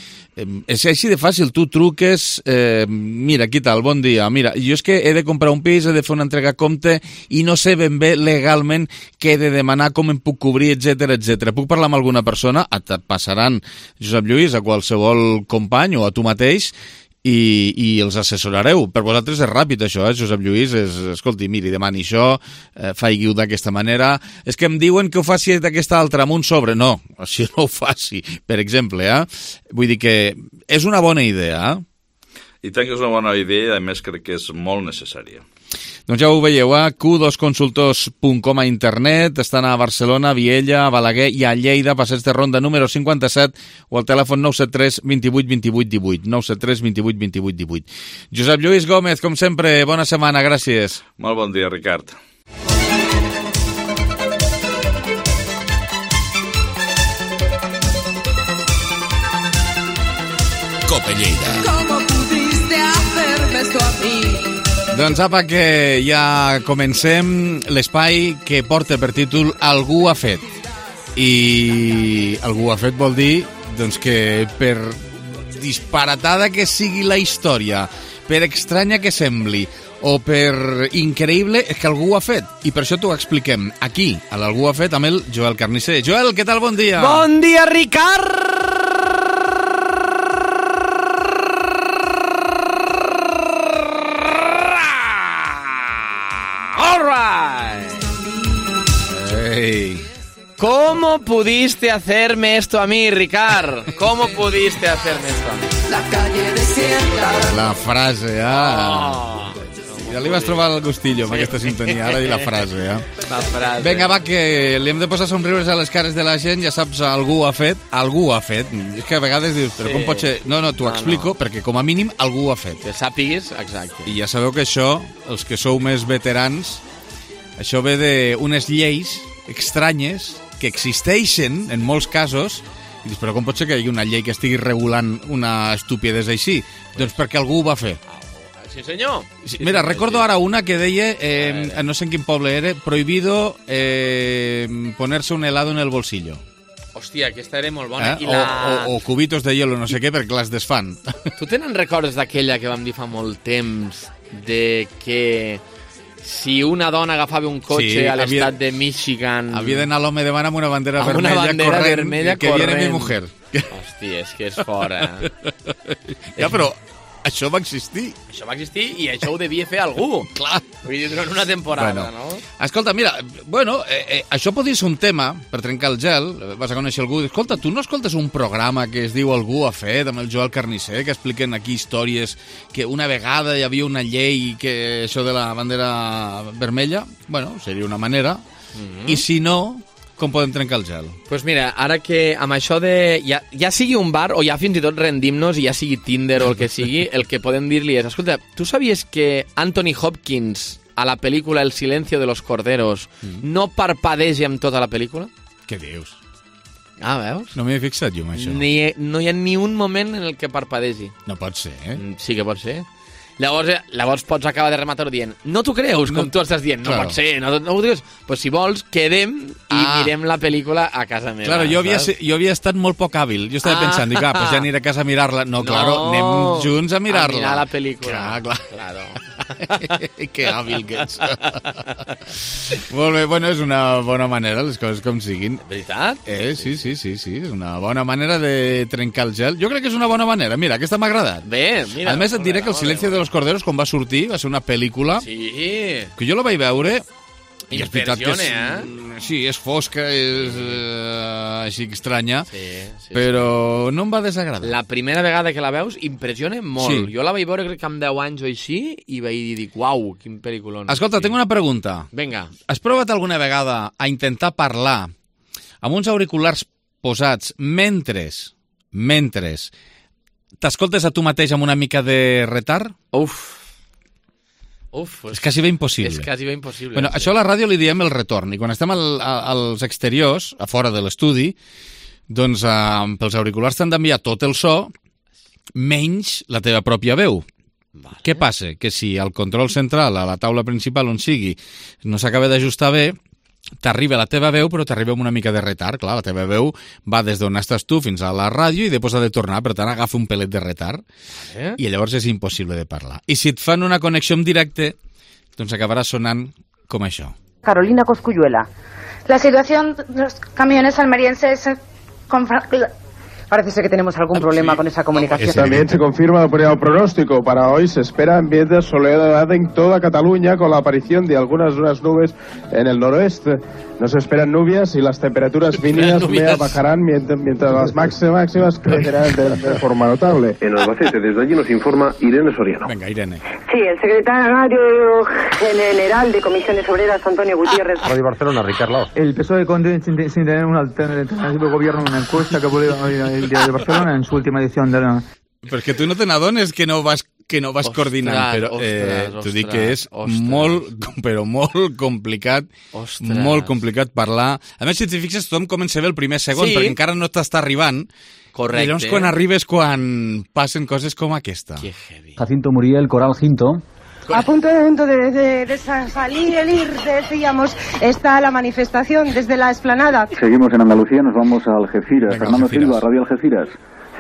És així de fàcil, tu truques, mira, què tal, bon dia, mira, jo és que he de comprar un pis, he de fer una entrega a compte i no sé ben bé legalment què he de demanar, com em puc cobrir, etc. Puc parlar amb alguna persona? Et passaran, Josep Lluís, a qualsevol company o a tu mateix i els assessorareu. Per vosaltres és ràpid això, Josep Lluís, escolti, miri, demani això, faig-ho d'aquesta manera, és que em diuen que ho faci d'aquesta altra, amb un sobre. No, així no ho faci, per exemple, Vull dir que és una bona idea, I tant que és una bona idea, a més crec que és molt necessària. Doncs ja ho veieu, q2consultors.com a internet, estan a Barcelona, Viella, a Balaguer i a Lleida, passeig de Ronda número 57 o al telèfon 973 28 28 18, 973 28 28 18. Josep Lluís Gómez, com sempre, bona setmana, gràcies. Molt bon dia, Ricard. Cope Lleida. ¿Cómo pudiste hacerme esto a mí? Doncs apa, que ja comencem l'espai que porta per títol Algú ha fet. I algú ha fet vol dir doncs, que per disparatada que sigui la història, per estranya que sembli o per increïble, és que algú ho ha fet. I per això t'ho expliquem aquí, a l'Algú ha fet, amb el Joel Carnisser. Joel, què tal? Bon dia. Bon dia, Ricard! ¿Cómo pudiste hacerme esto a mí, Ricard? ¿Cómo pudiste hacerme esto a mí? La calle de desierta. La frase, Ja li vas trobar el gustillo amb aquesta sintonia, ara i la frase, La frase. Vinga, va, que li hem de posar somriures a les cares de la gent, ja saps, algú ho ha fet. És que a vegades dius, però com pot ser? No, t'ho explico, perquè com a mínim algú ho ha fet. Que sàpiguis, exacte. I ja sabeu que això, els que sou més veterans, això ve d'unes lleis estranyes que existeixen en molts casos, i dius, però com pot ser que hi hagi una llei que estigui regulant una estupidesa així? Doncs perquè algú ho va fer. Sí, senyor. Mira, recordo ara una que deia, no sé en quin poble era, prohibido ponerse un helado en el bolsillo. Hòstia, aquesta era molt bona. O cubitos de hielo, no sé què, perquè les desfan. Tu tenen records d'aquella que vam dir fa molt temps, de que si una dona agafava un cotxe a l'estat de Michigan... Havia d'anar l'home davant amb una bandera vermella corrent, que viene mi mujer. Hòstia, és que és fora. Ja, però... Això va existir. Això va existir i això ho devia fer algú. Clar. Vull dir, durant una temporada, no? Escolta, mira, això podria ser un tema per trencar el gel. Vas a conèixer algú. Escolta, tu no escoltes un programa que es diu Algú ha fet, amb el Joel Carnisser, que expliquen aquí històries que una vegada hi havia una llei que això de la bandera vermella, bueno, seria una manera. I si no... Com podem trencar el gel? Doncs mira, ara que amb això de... Ja sigui un bar o ja fins i tot rendim-nos i ja sigui Tinder o el que sigui, el que podem dir-li és, escolta, tu sabies que Anthony Hopkins a la pel·lícula El silencio de los corderos no parpadeja amb tota la pel·lícula? Què dius? Ah, veus? No m'he fixat jo en això. No hi ha ni un moment en el que parpadegi. No pot ser, Sí que pot ser. Llavors pots acabar de rematar dient, no t'ho creus, com tu estàs dient, no pot ser, no ho dius. Pues si vols, quedem i mirem la pel·lícula a casa meva. Claro, jo havia estat molt poc hàbil. Jo estava pensant, dic, pues ja aniré a casa a mirar-la. No, claro, anem junts a mirar-la. A mirar la pel·lícula. Claro. Que hàbil que ets. Molt bé, bueno, és una bona manera, les coses com siguin. Veritat? Sí, és una bona manera de trencar el gel. Jo crec que és una bona manera. Mira, aquesta m'ha agradat. Bé, mira. A més, et diré que El silencio de los corderos, quan va sortir, va ser una pel·lícula que jo la vaig veure i és veritat que sí, és fosca, és així estranya, però no em va desagradar. La primera vegada que la veus impressiona molt. Jo la vaig veure crec que amb 10 anys o així i vaig dir, uau, quin pel·lículon. Escolta, tinc una pregunta. Vinga. Has provat alguna vegada a intentar parlar amb uns auriculars posats mentre t'escoltes a tu mateix amb una mica de retard? És quasi bé impossible. Bueno, això a la ràdio li diem el retorn, i quan estem als exteriors, a fora de l'estudi, doncs pels auriculars t'han d'enviar tot el so, menys la teva pròpia veu. Què passa? Que si al control central, a la taula principal on sigui, no s'acaba d'ajustar bé, t'arriba la teva veu, però t'arriba amb una mica de retard. Clar, la teva veu va des d'on estàs tu fins a la ràdio i després ha de tornar, per tant agafa un pelet de retard i llavors és impossible de parlar. I si et fan una connexió en directe, doncs acabarà sonant com això. Carolina Cosculluela. La situación de los camiones almerienses parece ser que tenemos algún problema con esa comunicación. También se confirma el pronóstico. Para hoy se espera ambiente de soledad en toda Cataluña con la aparición de algunas nubes en el noroeste. No se esperan lluvias y las temperaturas mínimas bajarán mientras las máximas crecerán de forma notable. En Albacete, desde allí nos informa Irene Soriano. Venga, Irene. Sí, el secretario general de Comisiones Obreras, Antonio Gutiérrez. Radio Barcelona, Ricard Lao. El PSOE sin tener un alternativo gobierno en una encuesta que publicó el Diario de Barcelona en su última edición de la... Perquè tu no te n'adones que no vas coordinant, però t'ho dic que és molt complicat, molt complicat parlar. A més, si t'hi fixes, tothom comença bé el primer segon, perquè encara no t'està arribant. Correcte. I llavors quan arribes, quan passen coses com aquesta. Que heavy. Jacinto Muriel, Coral Ginto. A punto de salir el IR, decíamos, está la manifestación desde la explanada. Seguimos en Andalucía, nos vamos a Algeciras. Fernando Silva, Radio Algeciras.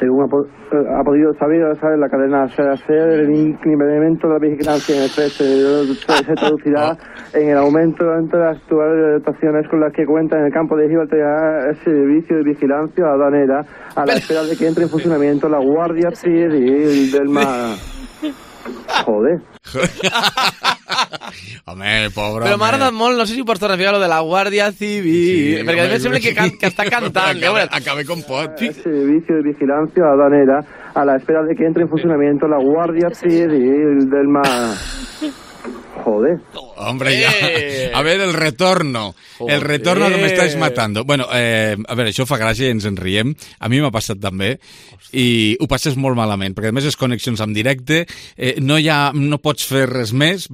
Según ha podido saber la cadena SER, el incremento de la vigilancia en el se traducirá en el aumento de las actuales dotaciones con las que cuenta en el campo de Gibraltar el servicio de vigilancia aduanera a la espera de que entre en funcionamiento la Guardia Civil del Mar. Joder. Home, pobre però m'ha agradat molt, no sé si ho pots tornar a ficar lo de la Guàrdia Civil, perquè a mi sembla que està cantant. Acabe com pot. El servicio de vigilancia aduanera a la espera de que entre en funcionamiento la Guardia Civil del Mar. Joder. Hombre, ja. A veure, el retorno. Joder. El retorno que m'estàs matando. Bueno, a veure, això fa gràcia i ens en riem. A mi m'ha passat també. I ho passes molt malament, perquè a més és connexions en directe, no pots fer res més,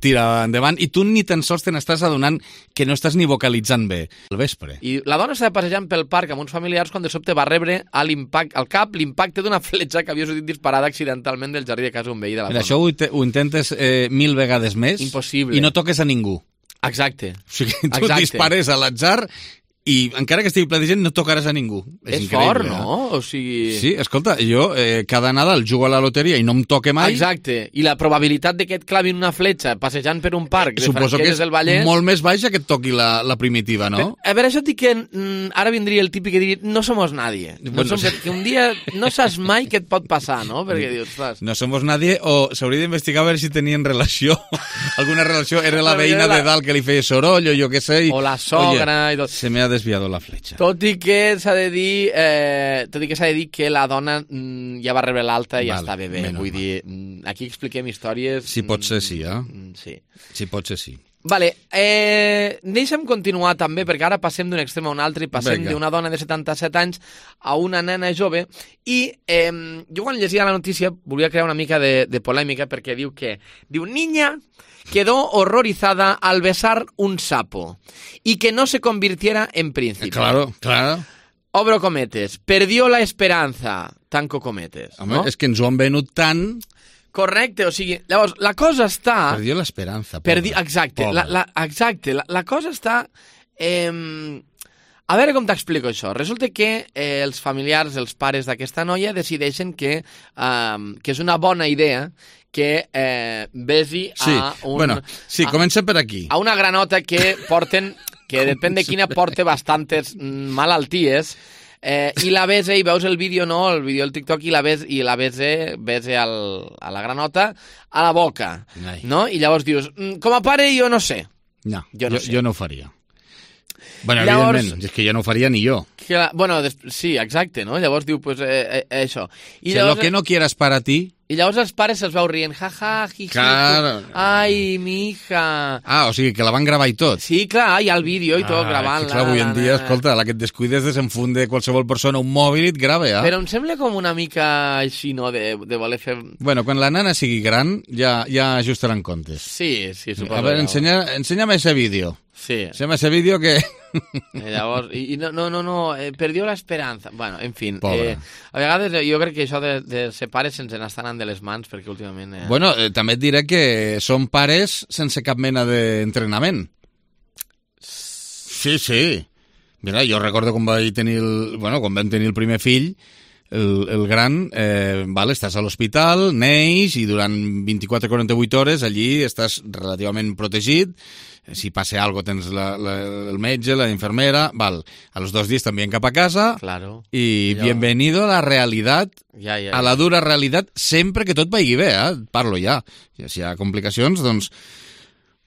tira endavant, i tu ni tan sols te n'estàs adonant que no estàs ni vocalitzant bé al vespre. I la dona estava passejant pel parc amb uns familiars quan de sobte va rebre al cap l'impacte d'una fletxa que havia sortit disparada accidentalment del jardí de casa un veí de la zona. Això ho intentes 1000 vegades més. Impossible. I no toques a ningú. Exacte. O sigui, tu dispares a l'atzar i encara que estigui ple de gent no tocaràs a ningú. És fort, no? O sigui... Sí, escolta, jo cada Nadal jugo a la loteria i no em toque mai. Exacte. I la probabilitat de que et clavin una fletxa passejant per un parc de Franquelles del Vallès... Suposo que és molt més baixa que et toqui la primitiva, no? A veure, això et dic que ara vindria el típic que diria no somos nadie. Que un dia no saps mai què et pot passar, no? Perquè dius, ostres... No somos nadie, o s'hauria d'investigar a veure si tenien relació. Alguna relació. Era la veïna de dalt que li feia soroll, o jo què sé. O la sogra i tot. Se m'ha desviado la fletxa. Tot i que s'ha de dir que la dona ja va rebre l'alta i ja està bé. Vull dir, aquí expliquem històries... Si pot ser sí, Sí. Si pot ser sí. Vale, deixa'm continuar també, perquè ara passem d'un extrem a un altre i passem d'una dona de 77 anys a una nena jove i jo quan llegia la notícia volia crear una mica de polèmica perquè diu niña quedó horrorizada al besar un sapo y que no se convirtiera en príncipe. Claro. Obro cometes. Perdió la esperanza. Tanco cometes. Home, no? És que ens ho han venut tant... Correcte, o sigui, llavors, la cosa està... Perdió l'esperança. Exacte, la cosa està... A veure com t'explico això. Resulta que els familiars, els pares d'aquesta noia decideixen que és una bona idea que besi a un... Bueno, sí, comencem per aquí. A una granota que porten, que depèn de quina porte bastantes malalties, i la besa, i veus el vídeo, no? El vídeo del TikTok, i la besa a la granota a la boca, no? I llavors dius, com a pare jo no sé. No, jo no ho faria. Bueno, llavors, evidentment, és que jo no ho faria ni jo. Bueno, sí, exacte, no? Llavors diu, pues, això. I llavors, lo que no quieras para ti... I llavors els pares se'ls veu rient, jaja, jiji, claro. Ai, mi hija... O sigui, que la van gravar i tot. Sí, clar, hi ha el vídeo i tot gravant-la. Clar, avui en dia, escolta, la que et descuides desenfunde qualsevol persona un mòbil i et grava, Però em sembla com una mica així, no?, de voler fer... Bueno, quan la nana sigui gran, ja ajustaran comptes. Sí, suposo. A veure, enséñame ese vídeo. Sí. Enséñame ese vídeo que... Llavors, no, perdió l'esperança. Bueno, en fi, a vegades jo crec que això de ser pares se'ns n'estan anant de les mans, perquè últimament... Bueno, també et diré que són pares sense cap mena d'entrenament. Sí. Mira, jo recordo quan vam tenir el primer fill, el gran, estàs a l'hospital, neix, i durant 24-48 hores allí estàs relativament protegit. Si passa alguna cosa tens el metge, la infermera, a los 2 dies t'envien cap a casa, claro. I bienvenido a la realitat, a la dura realitat, sempre que tot vagi bé, parlo ja. Si hi ha complicacions, doncs,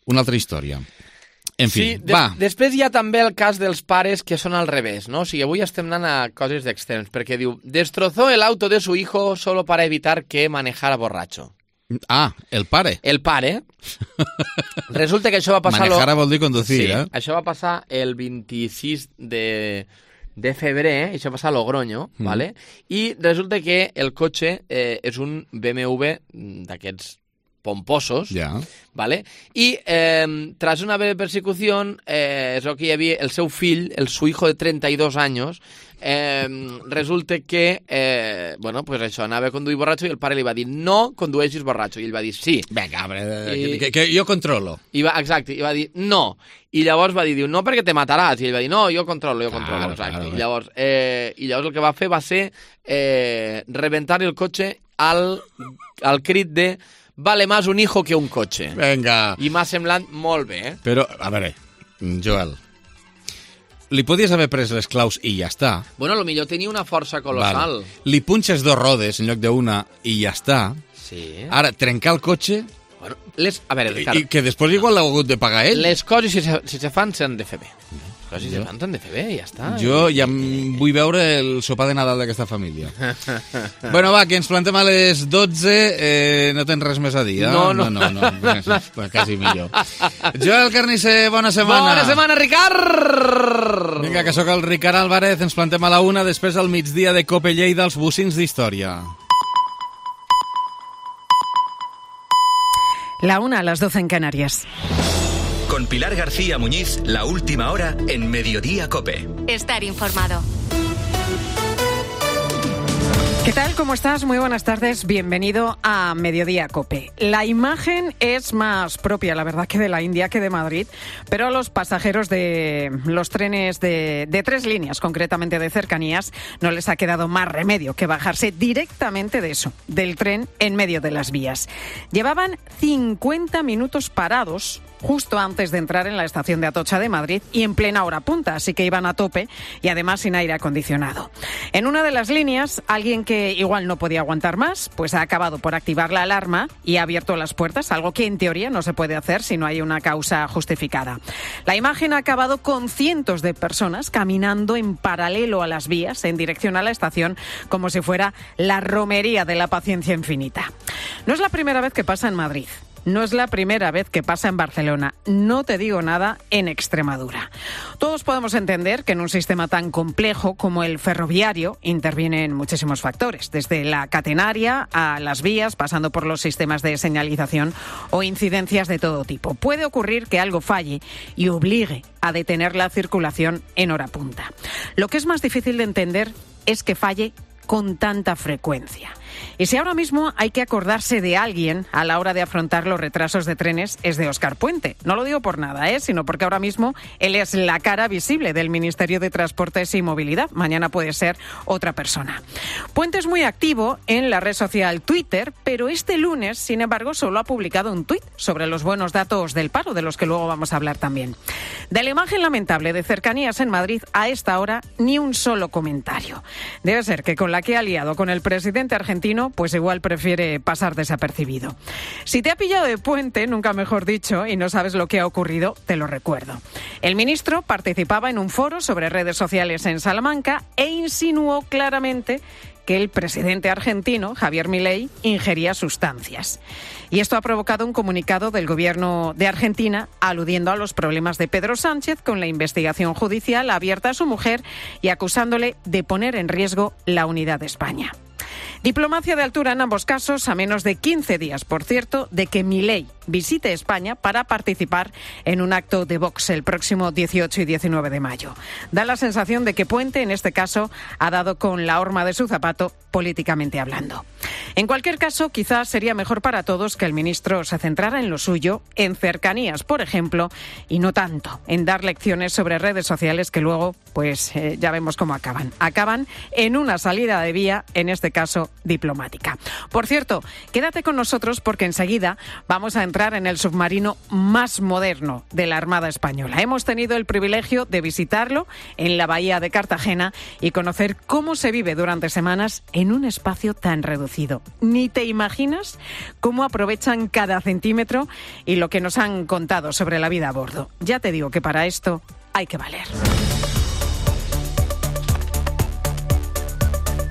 una altra història. En fi, va. Després hi ha també el cas dels pares que són al revés, no? O sigui, avui estem anant a coses d'extrems, perquè diu, destrozó el auto de su hijo solo para evitar que manejara borracho. El pare. El pare. Resulta que això va passar... Manejar vol dir conducir, sí, això va passar el 26 de febrer, això va passar a Logroño, ¿vale? I resulta que el cotxe és un BMW d'aquests pomposos, ¿vale? Y tras una breve persecución, es lo que hi havia el seu fill, su hijo de 32 años, resulta que, pues això, anava a conduir borratxo i el pare li va dir, no condueixis borratxo, i ell va dir, sí. Vinga, que jo controlo. Exacte, i va dir, no. I llavors va dir, no perquè te mataràs, i ell va dir, no, jo controlo, exacte. Claro. I llavors el que va fer va ser reventar el cotxe al crit de vale más un hijo que un cotxe. Vinga. I m'ha semblat molt bé, Però, a veure, Joel, li podies haver pres les claus i ja està. Bueno, potser tenia una força colossal. Li punxes 2 rodes en lloc d'una i ja està. Sí. Ara, trencar el cotxe, Bueno, a veure, Ricard... I que després igual l'ha hagut de pagar ell. Les coses, si se fan, s'han de fer bé. Les coses si se fan, s'han de fer bé, ja està. Jo ja vull veure el sopar de Nadal d'aquesta família. Bueno, va, que ens plantem a les 12. No tens res més a dir, eh? No. Quasi millor. Joel Carnisser, bona setmana. Bona setmana, Ricard! Vinga, que sóc el Ricard Álvarez. Ens plantem a la 1, després al migdia de Cope Lleida, els bocins d'història. La 1 a las 12 en Canarias. Con Pilar García Muñiz, la última hora en Mediodía Cope. Estar informado. ¿Qué tal? ¿Cómo estás? Muy buenas tardes. Bienvenido a Mediodía Cope. La imagen es más propia, la verdad, que de la India que de Madrid, pero a los pasajeros de los trenes de 3 líneas, concretamente de cercanías, no les ha quedado más remedio que bajarse directamente de eso, del tren en medio de las vías. Llevaban 50 minutos parados justo antes de entrar en la estación de Atocha de Madrid y en plena hora punta, así que iban a tope y además sin aire acondicionado. En una de las líneas, alguien que igual no podía aguantar más, pues ha acabado por activar la alarma y ha abierto las puertas, algo que en teoría no se puede hacer si no hay una causa justificada. La imagen ha acabado con cientos de personas caminando en paralelo a las vías en dirección a la estación como si fuera la romería de la paciencia infinita. No es la primera vez que pasa en Madrid. No es la primera vez que pasa en Barcelona, no te digo nada en Extremadura. Todos podemos entender que en un sistema tan complejo como el ferroviario intervienen muchísimos factores, desde la catenaria a las vías, pasando por los sistemas de señalización o incidencias de todo tipo. Puede ocurrir que algo falle y obligue a detener la circulación en hora punta. Lo que es más difícil de entender es que falle con tanta frecuencia. Y si ahora mismo hay que acordarse de alguien a la hora de afrontar los retrasos de trenes, es de Óscar Puente. No lo digo por nada, sino porque ahora mismo él es la cara visible del Ministerio de Transportes y Movilidad. Mañana puede ser otra persona. Puente es muy activo en la red social Twitter, pero este lunes, sin embargo, solo ha publicado un tuit sobre los buenos datos del paro, de los que luego vamos a hablar también. De la imagen lamentable de cercanías en Madrid, a esta hora, ni un solo comentario. Debe ser que con la que ha liado con el presidente argentino, pues igual prefiere pasar desapercibido. Si te ha pillado de puente, nunca mejor dicho, y no sabes lo que ha ocurrido, te lo recuerdo. El ministro participaba en un foro sobre redes sociales en Salamanca e insinuó claramente que el presidente argentino, Javier Milei, ingería sustancias. Y esto ha provocado un comunicado del gobierno de Argentina aludiendo a los problemas de Pedro Sánchez con la investigación judicial abierta a su mujer y acusándole de poner en riesgo la unidad de España. Diplomacia de altura en ambos casos, a menos de 15 días, por cierto, de que Milei visite España para participar en un acto de Vox el próximo 18 y 19 de mayo. Da la sensación de que Puente, en este caso, ha dado con la horma de su zapato, políticamente hablando. En cualquier caso, quizás sería mejor para todos que el ministro se centrara en lo suyo, en cercanías, por ejemplo, y no tanto en dar lecciones sobre redes sociales que luego, pues ya vemos cómo acaban. Acaban en una salida de vía, en este caso diplomática. Por cierto, quédate con nosotros porque enseguida vamos a entrar en el submarino más moderno de la Armada Española. Hemos tenido el privilegio de visitarlo en la bahía de Cartagena y conocer cómo se vive durante semanas en un espacio tan reducido. Ni te imaginas cómo aprovechan cada centímetro y lo que nos han contado sobre la vida a bordo. Ya te digo que para esto hay que valer.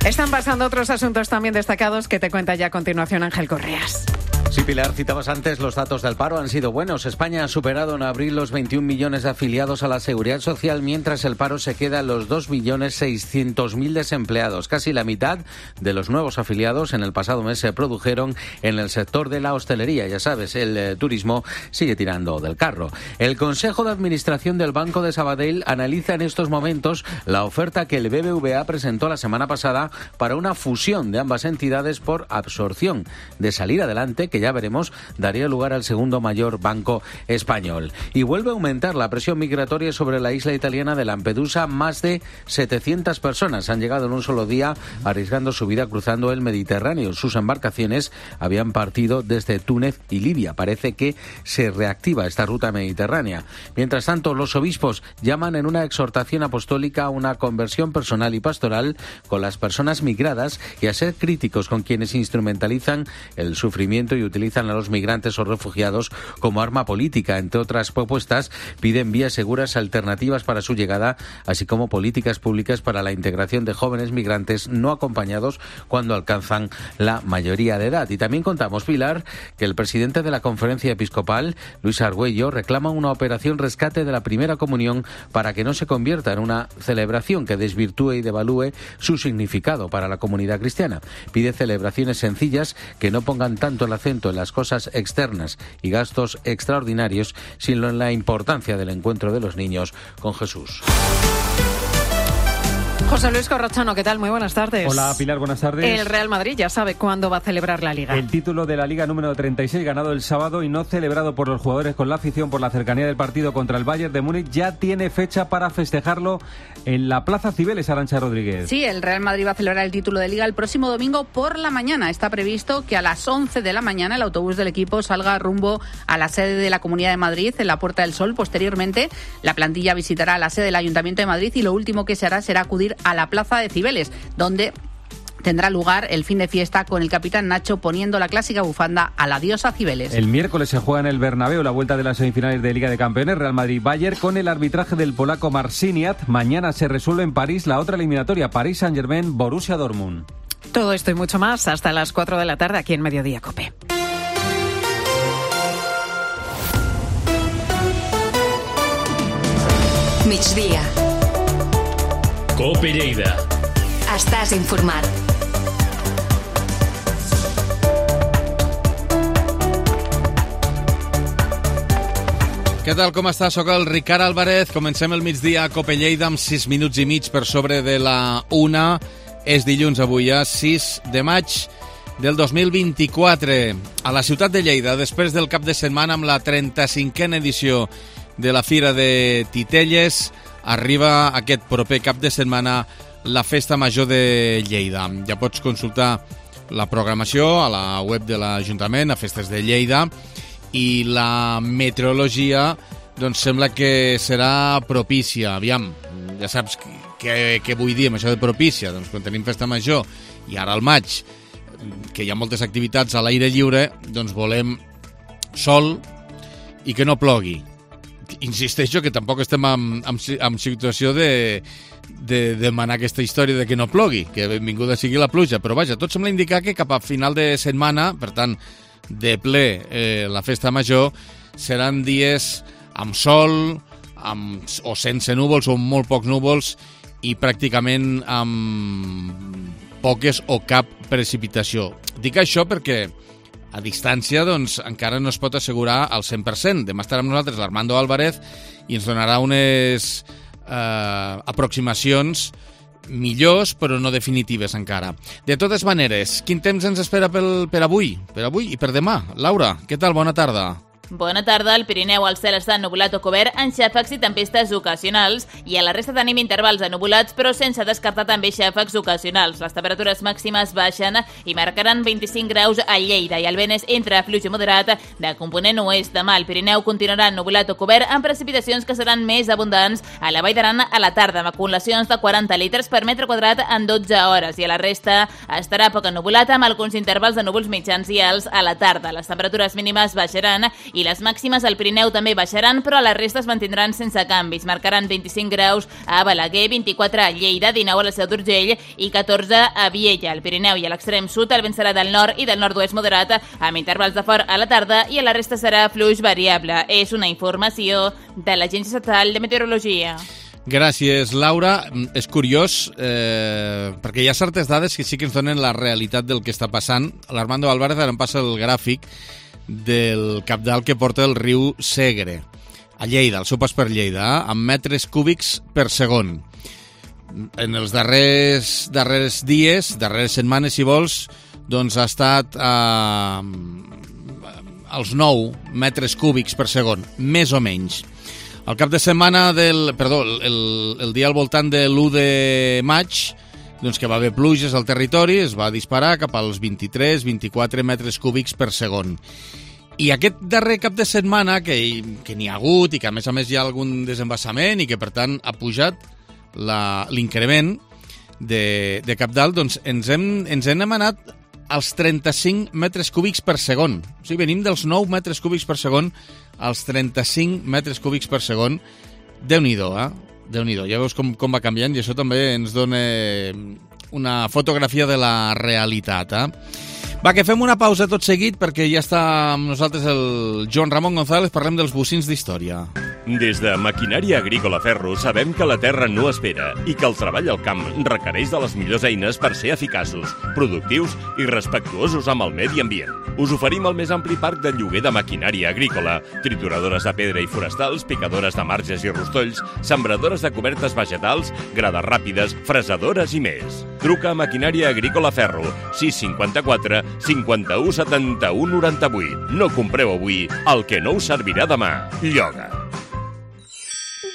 Están pasando otros asuntos también destacados que te cuenta ya a continuación Ángel Correas. Sí, Pilar, citabas antes, los datos del paro han sido buenos. España ha superado en abril los 21 millones de afiliados a la Seguridad Social, mientras el paro se queda en los 2.600.000 desempleados. Casi la mitad de los nuevos afiliados en el pasado mes se produjeron en el sector de la hostelería. Ya sabes, el turismo sigue tirando del carro. El Consejo de Administración del Banco de Sabadell analiza en estos momentos la oferta que el BBVA presentó la semana pasada para una fusión de ambas entidades por absorción. De salir adelante, que ya veremos, daría lugar al segundo mayor banco español. Y vuelve a aumentar la presión migratoria sobre la isla italiana de Lampedusa. Más de 700 personas han llegado en un solo día, arriesgando su vida cruzando el Mediterráneo. Sus embarcaciones habían partido desde Túnez y Libia. Parece que se reactiva esta ruta mediterránea. Mientras tanto, los obispos llaman en una exhortación apostólica a una conversión personal y pastoral con las personas migradas y a ser críticos con quienes instrumentalizan el sufrimiento y utilizan a los migrantes o refugiados como arma política. Entre otras propuestas, piden vías seguras alternativas para su llegada, así como políticas públicas para la integración de jóvenes migrantes no acompañados cuando alcanzan la mayoría de edad. Y también contamos, Pilar, que el presidente de la Conferencia Episcopal, Luis Argüello, reclama una operación rescate de la primera comunión para que no se convierta en una celebración que desvirtúe y devalúe su significado para la comunidad cristiana. Pide celebraciones sencillas que no pongan tanto el acento en las cosas externas y gastos extraordinarios, sino en la importancia del encuentro de los niños con Jesús. José Luis Corrochano, ¿qué tal? Muy buenas tardes. Hola, Pilar, buenas tardes. El Real Madrid ya sabe cuándo va a celebrar la Liga. El título de la Liga número 36, ganado el sábado y no celebrado por los jugadores con la afición por la cercanía del partido contra el Bayern de Múnich, ya tiene fecha para festejarlo en la Plaza Cibeles, Arantxa Rodríguez. Sí, el Real Madrid va a celebrar el título de Liga el próximo domingo por la mañana. Está previsto que a las 11 de la mañana el autobús del equipo salga rumbo a la sede de la Comunidad de Madrid, en la Puerta del Sol. Posteriormente, la plantilla visitará la sede del Ayuntamiento de Madrid y lo último que se hará será acudir a la Plaza de Cibeles, donde tendrá lugar el fin de fiesta con el capitán Nacho poniendo la clásica bufanda a la diosa Cibeles. El miércoles se juega en el Bernabéu la vuelta de las semifinales de Liga de Campeones, Real Madrid-Bayern, con el arbitraje del polaco Marciniak. Mañana se resuelve en París la otra eliminatoria, París Saint-Germain-Borussia Dortmund. Todo esto y mucho más hasta las 4 de la tarde aquí en Mediodía COPE. Migdia. COPE Lleida. Estàs informat. Què tal, com està? Soc el Ricard Álvarez. Comencem el migdia a COPE Lleida amb 6 minuts i mig per sobre de la 1. És dilluns avui, 6 de maig del 2024. A la ciutat de Lleida, després del cap de setmana amb la 35a edició de la Fira de Titelles, arriba aquest proper cap de setmana la Festa Major de Lleida. Ja pots consultar la programació a la web de l'Ajuntament, a Festes de Lleida, i la meteorologia doncs sembla que serà propícia. Aviam, ja saps què vull dir amb això de propícia. Doncs quan tenim Festa Major i ara al maig, que hi ha moltes activitats a l'aire lliure, doncs volem sol i que no plogui. Insisteixo que tampoc estem en situació de demanar aquesta història de que no plogui, que benvinguda sigui la pluja, però vaja, tot sembla indicar que cap a final de setmana, per tant, de ple la Festa Major, seran dies amb sol, o sense núvols, o molt pocs núvols, i pràcticament amb poques o cap precipitació. Dic això perquè a distància, doncs, encara no es pot assegurar al 100%. Demà estarà amb nosaltres l'Armando Álvarez i ens donarà unes aproximacions millors, però no definitives encara. De totes maneres, quin temps ens espera per avui i per demà? Laura, què tal? Bona tarda. Bona tarda. Al Pirineu el cel està ennubulat o cobert amb xàfecs i tempestes ocasionals i a la resta tenim intervals ennubulats però sense descartar també xàfecs ocasionals. Les temperatures màximes baixen i marcaran 25 graus a Lleida i el vent és entre fluix i moderat de component oest. Demà el Pirineu continuarà ennubulat o cobert amb precipitacions que seran més abundants a la Vall d'Aran a la tarda amb acumulacions de 40 litres per metre quadrat en 12 hores i a la resta estarà poc ennubulat amb alguns intervals de núvols mitjans i alts a la tarda. Les temperatures mínimes baixaran i les màximes al Pirineu també baixaran, però a la resta es mantindran sense canvis. Marcaran 25 graus a Balaguer, 24 a Lleida, 19 a la Seu d'Urgell i 14 a Viella. Al Pirineu i a l'extrem sud el vent serà del nord i del nord-oest moderat, amb intervals de fort a la tarda i a la resta serà fluix variable. És una informació de l'Agència Estatal de Meteorologia. Gràcies, Laura. És curiós, perquè hi ha certes dades que sí que ens donen la realitat del que està passant. L'Armando Álvarez ara em passa el gràfic del cabdal que porta el riu Segre, a Lleida, al seu pas per Lleida, amb metres cúbics per segon. En els darrers dies, darreres setmanes, si vols, doncs ha estat als 9 metres cúbics per segon, més o menys. El cap de setmana el dia al voltant de l'1 de maig, doncs que va haver pluges al territori, es va disparar cap als 23-24 metres cúbics per segon. I aquest darrer cap de setmana, que n'hi ha hagut i que a més hi ha algun desembassament i que per tant ha pujat l'increment de cabdal, doncs ens hem anat als 35 metres cúbics per segon. O sigui, venim dels 9 metres cúbics per segon als 35 metres cúbics per segon. Déu-n'hi-do, Déu-n'hi-do. Ja veus com va canviant i això també ens dona una fotografia de la realitat, Va, que fem una pausa tot seguit perquè ja està amb nosaltres el Joan Ramon González, parlem dels bocins d'història. Des de Maquinària Agrícola Ferro sabem que la terra no espera i que el treball al camp requereix de les millors eines per ser eficaços, productius i respectuosos amb el medi ambient. Us oferim el més ampli parc de lloguer de maquinària agrícola, trituradores de pedra i forestals, picadores de marges i rostolls, sembradores de cobertes vegetals, grades ràpides, fresadores i més. Truca a Maquinària Agrícola Ferro, 654 51 71 98. No compreu avui el que no us servirà demà. Lloga.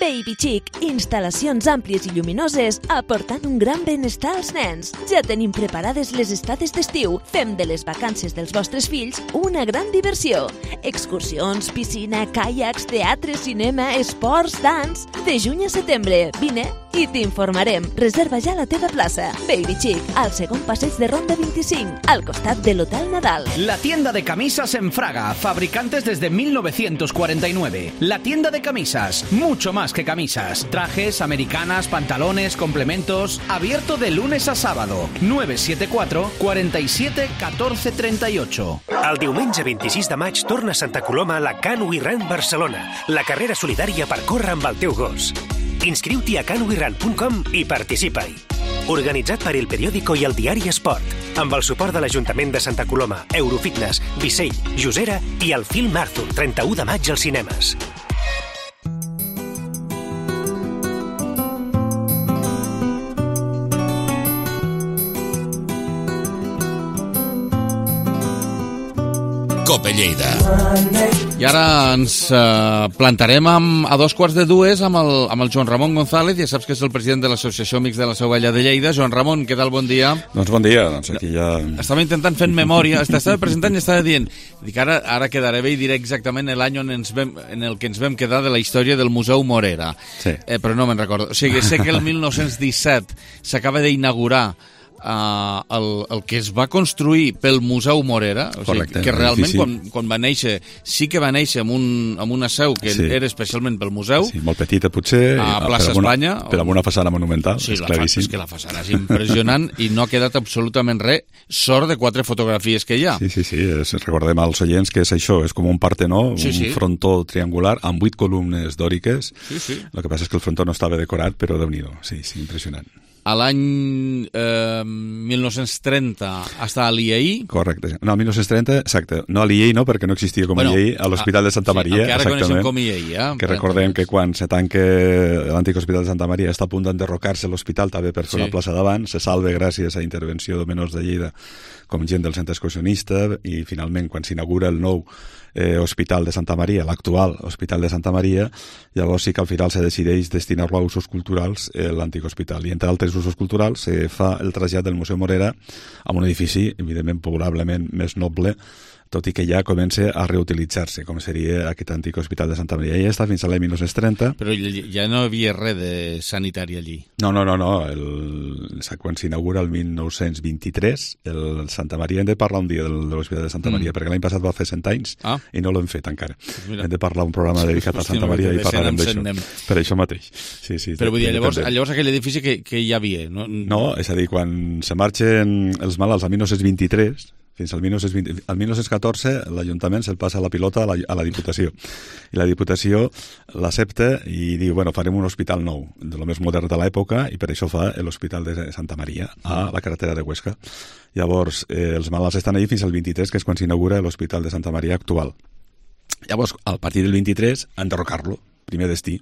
Baby Chic, instal·lacions àmplies i lluminoses aportant un gran benestar als nens. Ja tenim preparades les estades d'estiu. Fem de les vacances dels vostres fills una gran diversió. Excursions, piscina, caiacs, teatre, cinema, esports, dans... De juny a setembre, vine i t'informarem. Reserva ja la teva plaça. Baby Chic, al segon passeig de Ronda 25, al costat de l'Hotel Nadal. La tienda de camisas en Fraga, fabricantes desde 1949. La tienda de camisas, mucho más que camisas. Trajes, americanas, pantalones, complementos. Abierto de lunes a sábado. 974 47 14 38. El diumenge 26 de maig torna a Santa Coloma la Canoe Run Barcelona, la carrera solidària per córrer amb el teu gos. Inscriu-t'hi a canoerun.com i participa-hi. Organitzat per El Periódico i el Diari Esport, amb el suport de l'Ajuntament de Santa Coloma, Eurofitness, Vicell, Josera i el Film Arthur, 31 de maig als cinemes. Cope Lleida. I ara ens plantarem a 2:45 amb el Joan Ramon González, ja saps que és el president de l'Associació Amics de la Seu Vella de Lleida. Joan Ramon, què tal? Bon dia. Doncs bon dia, aquí ja... Estava intentant fer memòria, estava presentant i estava dient, dic, ara quedaré bé i diré exactament l'any en el que ens vam quedar de la història del Museu Morera. Sí. Però no me'n recordo. O sigui, sé que el 1917 s'acaba d'inaugurar el que es va construir pel Museu Morera, o sigui, que realment quan va néixer, sí que va néixer amb una seu que era especialment pel museu. Sí, molt petita potser, a Plaça Espanya. Però amb una façana monumental, sí, és claríssim. És que la façana és impressionant i no ha quedat absolutament res, sort de 4 fotografies que hi ha. Sí, recordem als oients que és això, és com un partenó, un frontó triangular amb 8 columnes dòriques. El que passa és que el frontó no estava decorat, però Déu-n'hi-do, sí, impressionant. A l'any 1930 està a l'IAI. Correcte. No, 1930, exacte. No a l'IAI no, perquè no existia com a IAI, a l'Hospital de Santa Maria. Que ara coneixem com IAI. Que recordem que quan se tanca l'antic Hospital de Santa Maria està a punt d'enderrocar-se l'hospital també per fer una plaça davant, se salve gràcies a intervenció de menors de Lleida com gent del centre excursionista i finalment quan s'inaugura el nou Hospital de Santa Maria, l'actual Hospital de Santa Maria, llavors sí que al final se decideix destinar-lo a usos culturals l'antic hospital. I entre altres usos culturals se fa el trasllat del Museu Morera a un edifici, evidentment, probablement més noble, tot i que ja comença a reutilitzar-se, com seria aquest antic Hospital de Santa Maria. Ja està fins a l'any 1930. Però ja no hi havia res de sanitari allí. No. Quan s'inaugura el 1923, el Santa Maria, hem de parlar un dia de l'Hospital de Santa Maria, perquè l'any passat va fer 100 anys i no l'hem fet encara. Hem de parlar un programa dedicat a Santa Maria i parlarem d'això. Per això mateix. Sí, però vull dir, llavors aquell edifici que hi havia, no? No, és a dir, quan se marxen els malalts al 1923, fins al 1914 l'Ajuntament se'l passa la pilota a la Diputació i la Diputació l'accepta i diu, farem un hospital nou de lo més modern de l'època i per això fa l'Hospital de Santa Maria a la carretera de Huesca. Llavors els malalts estan allí fins al 23, que és quan s'inaugura l'Hospital de Santa Maria actual. Llavors, a partir del 23, enderrocar-lo, primer destí.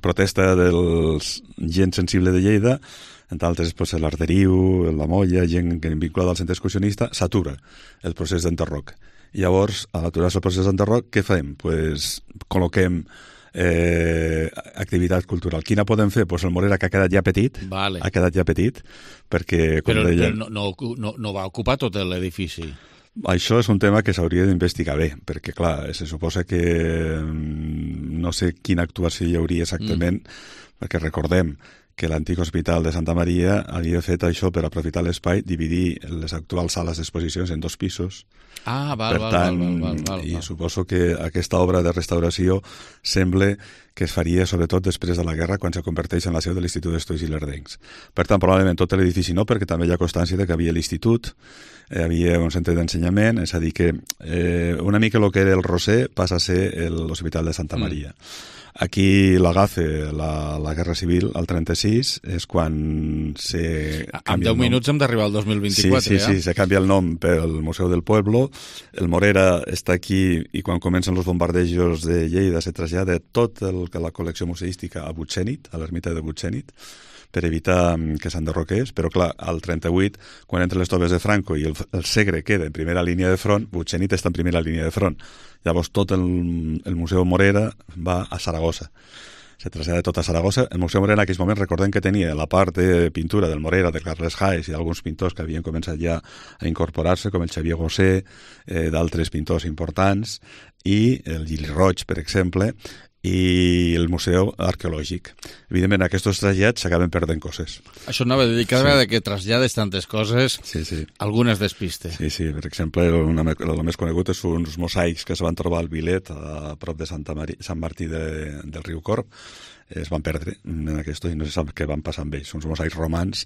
Protesta dels gent sensible de Lleida, entre altres l'Arderiu, la Molla, gent vinculada al centre excursionista, s'atura el procés d'enderroc. Llavors, a aturar-se el procés d'enderroc, què fem? Col·loquem activitat cultural. Quina podem fer? El Morera, que ha quedat ja petit, perquè... Però no va ocupar tot l'edifici. Això és un tema que s'hauria d'investigar bé, perquè, clar, se suposa que no sé quina actuació hi hauria exactament, perquè recordem que l'antic hospital de Santa Maria havia fet això per aprofitar l'espai, dividir les actuals sales d'exposicions en 2 pisos. Val. I suposo que aquesta obra de restauració sembla que es faria sobretot després de la guerra, quan se converteix en la seu de l'Institut d'Estudis Ilerdencs. Per tant, probablement tot l'edifici no, perquè també hi ha constància de que havia l'institut, hi havia un centre d'ensenyament, és a dir que una mica el que era el Roser passa a ser l'Hospital de Santa Maria. Aquí l'agafa la Guerra Civil, al 36, és quan se en 10 minuts hem d'arribar al 2024. Sí, se canvia el nom pel Museu del Pueblo. El Morera està aquí i quan comencen els bombardejos de Lleida se trasllada tot la col·lecció museística a Butxènit, a l'ermita de Butxènit, per evitar que s'enderroqués, però clar, al 38, quan entren les tropes de Franco i el Segre queda en primera línia de front, Butxènit està en primera línia de front. Llavors tot el Museu Morera va a Saragossa. Se trasllada tot a Saragossa. El Museu Morera en aquells moments, recordem que tenia la part de pintura del Morera, de Carles Haes i d'alguns pintors que havien començat ja a incorporar-se, com el Xavier Gosset, d'altres pintors importants, i el Gili Roig, per exemple, i el Museu Arqueològic. Evidentment, aquests trasllats s'acaben perdent coses. Això anava a dir, cada vegada que trasllades tantes coses, algunes despistes. Sí, per exemple, el més conegut és uns mosaics que es van trobar al Vilet, a prop de Sant Martí del Riu Corb. Es van perdre en aquest i no se sap què van passar amb ells. Uns mosaics romans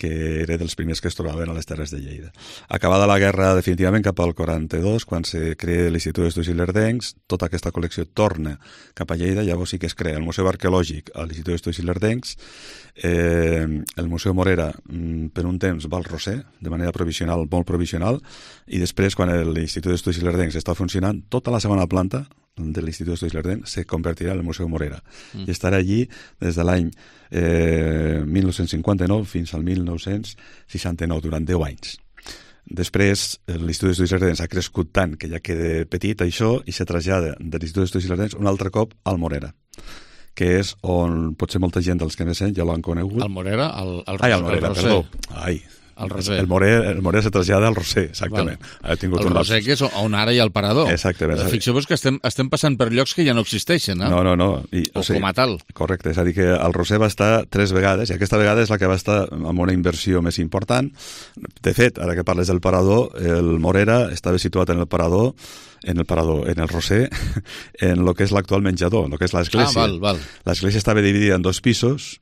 que eren dels primers que es trobaven a les Terres de Lleida. Acabada la guerra, definitivament, cap al 42, quan se crea l'Institut d'Estudis Ilerdencs, tota aquesta col·lecció torna cap a Lleida, llavors sí que es crea el Museu Arqueològic a l'Institut d'Estudis Ilerdencs, el Museu Morera per un temps va al Roser, de manera provisional, molt provisional, i després, quan l'Institut d'Estudis Ilerdencs està funcionant, tota la segona planta de l'Institut d'Estudis Ilerdencs se convertirà en el Museu Morera i estarà allí des de l'any 1959 fins al 1969, durant 10 anys. Després, l'Institut d'Estudis Ilerdencs ha crescut tant que ja queda petit això i se trasllada de l'Institut d'Estudis Ilerdencs un altre cop al Morera, que és on potser molta gent dels que més ja l'han conegut. Al Morera? Al Morera, perdó. El Roser. El Morera se trasllada al Roser, exactament. El Roser, que és on ara hi ha el parador. Exactament. Fixeu-vos que estem passant per llocs que ja no existeixen, eh? No. Com a tal. Correcte, és a dir que el Roser va estar 3 vegades, i aquesta vegada és la que va estar amb una inversió més important. De fet, ara que parles del parador, el Morera estava situat en el parador, en el Roser, en el que és l'actual menjador, en el que és l'església. L'església estava dividida en 2 pisos,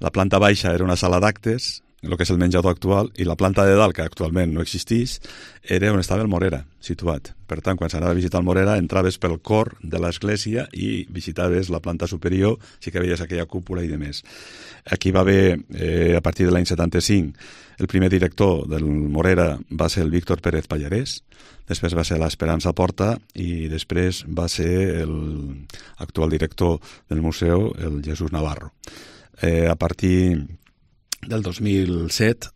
la planta baixa era una sala d'actes, el que és el menjador actual, i la planta de dalt, que actualment no existís, era on estava el Morera, situat. Per tant, quan s'anava a visitar el Morera, entraves pel cor de l'església i visitaves la planta superior, sí que veies aquella cúpula i demés. Aquí va haver, a partir de l'any 75, el primer director del Morera va ser el Víctor Pérez Pallarès, després va ser l'Esperança Porta i després va ser l'actual director del museu, el Jesús Navarro. A partir del 2007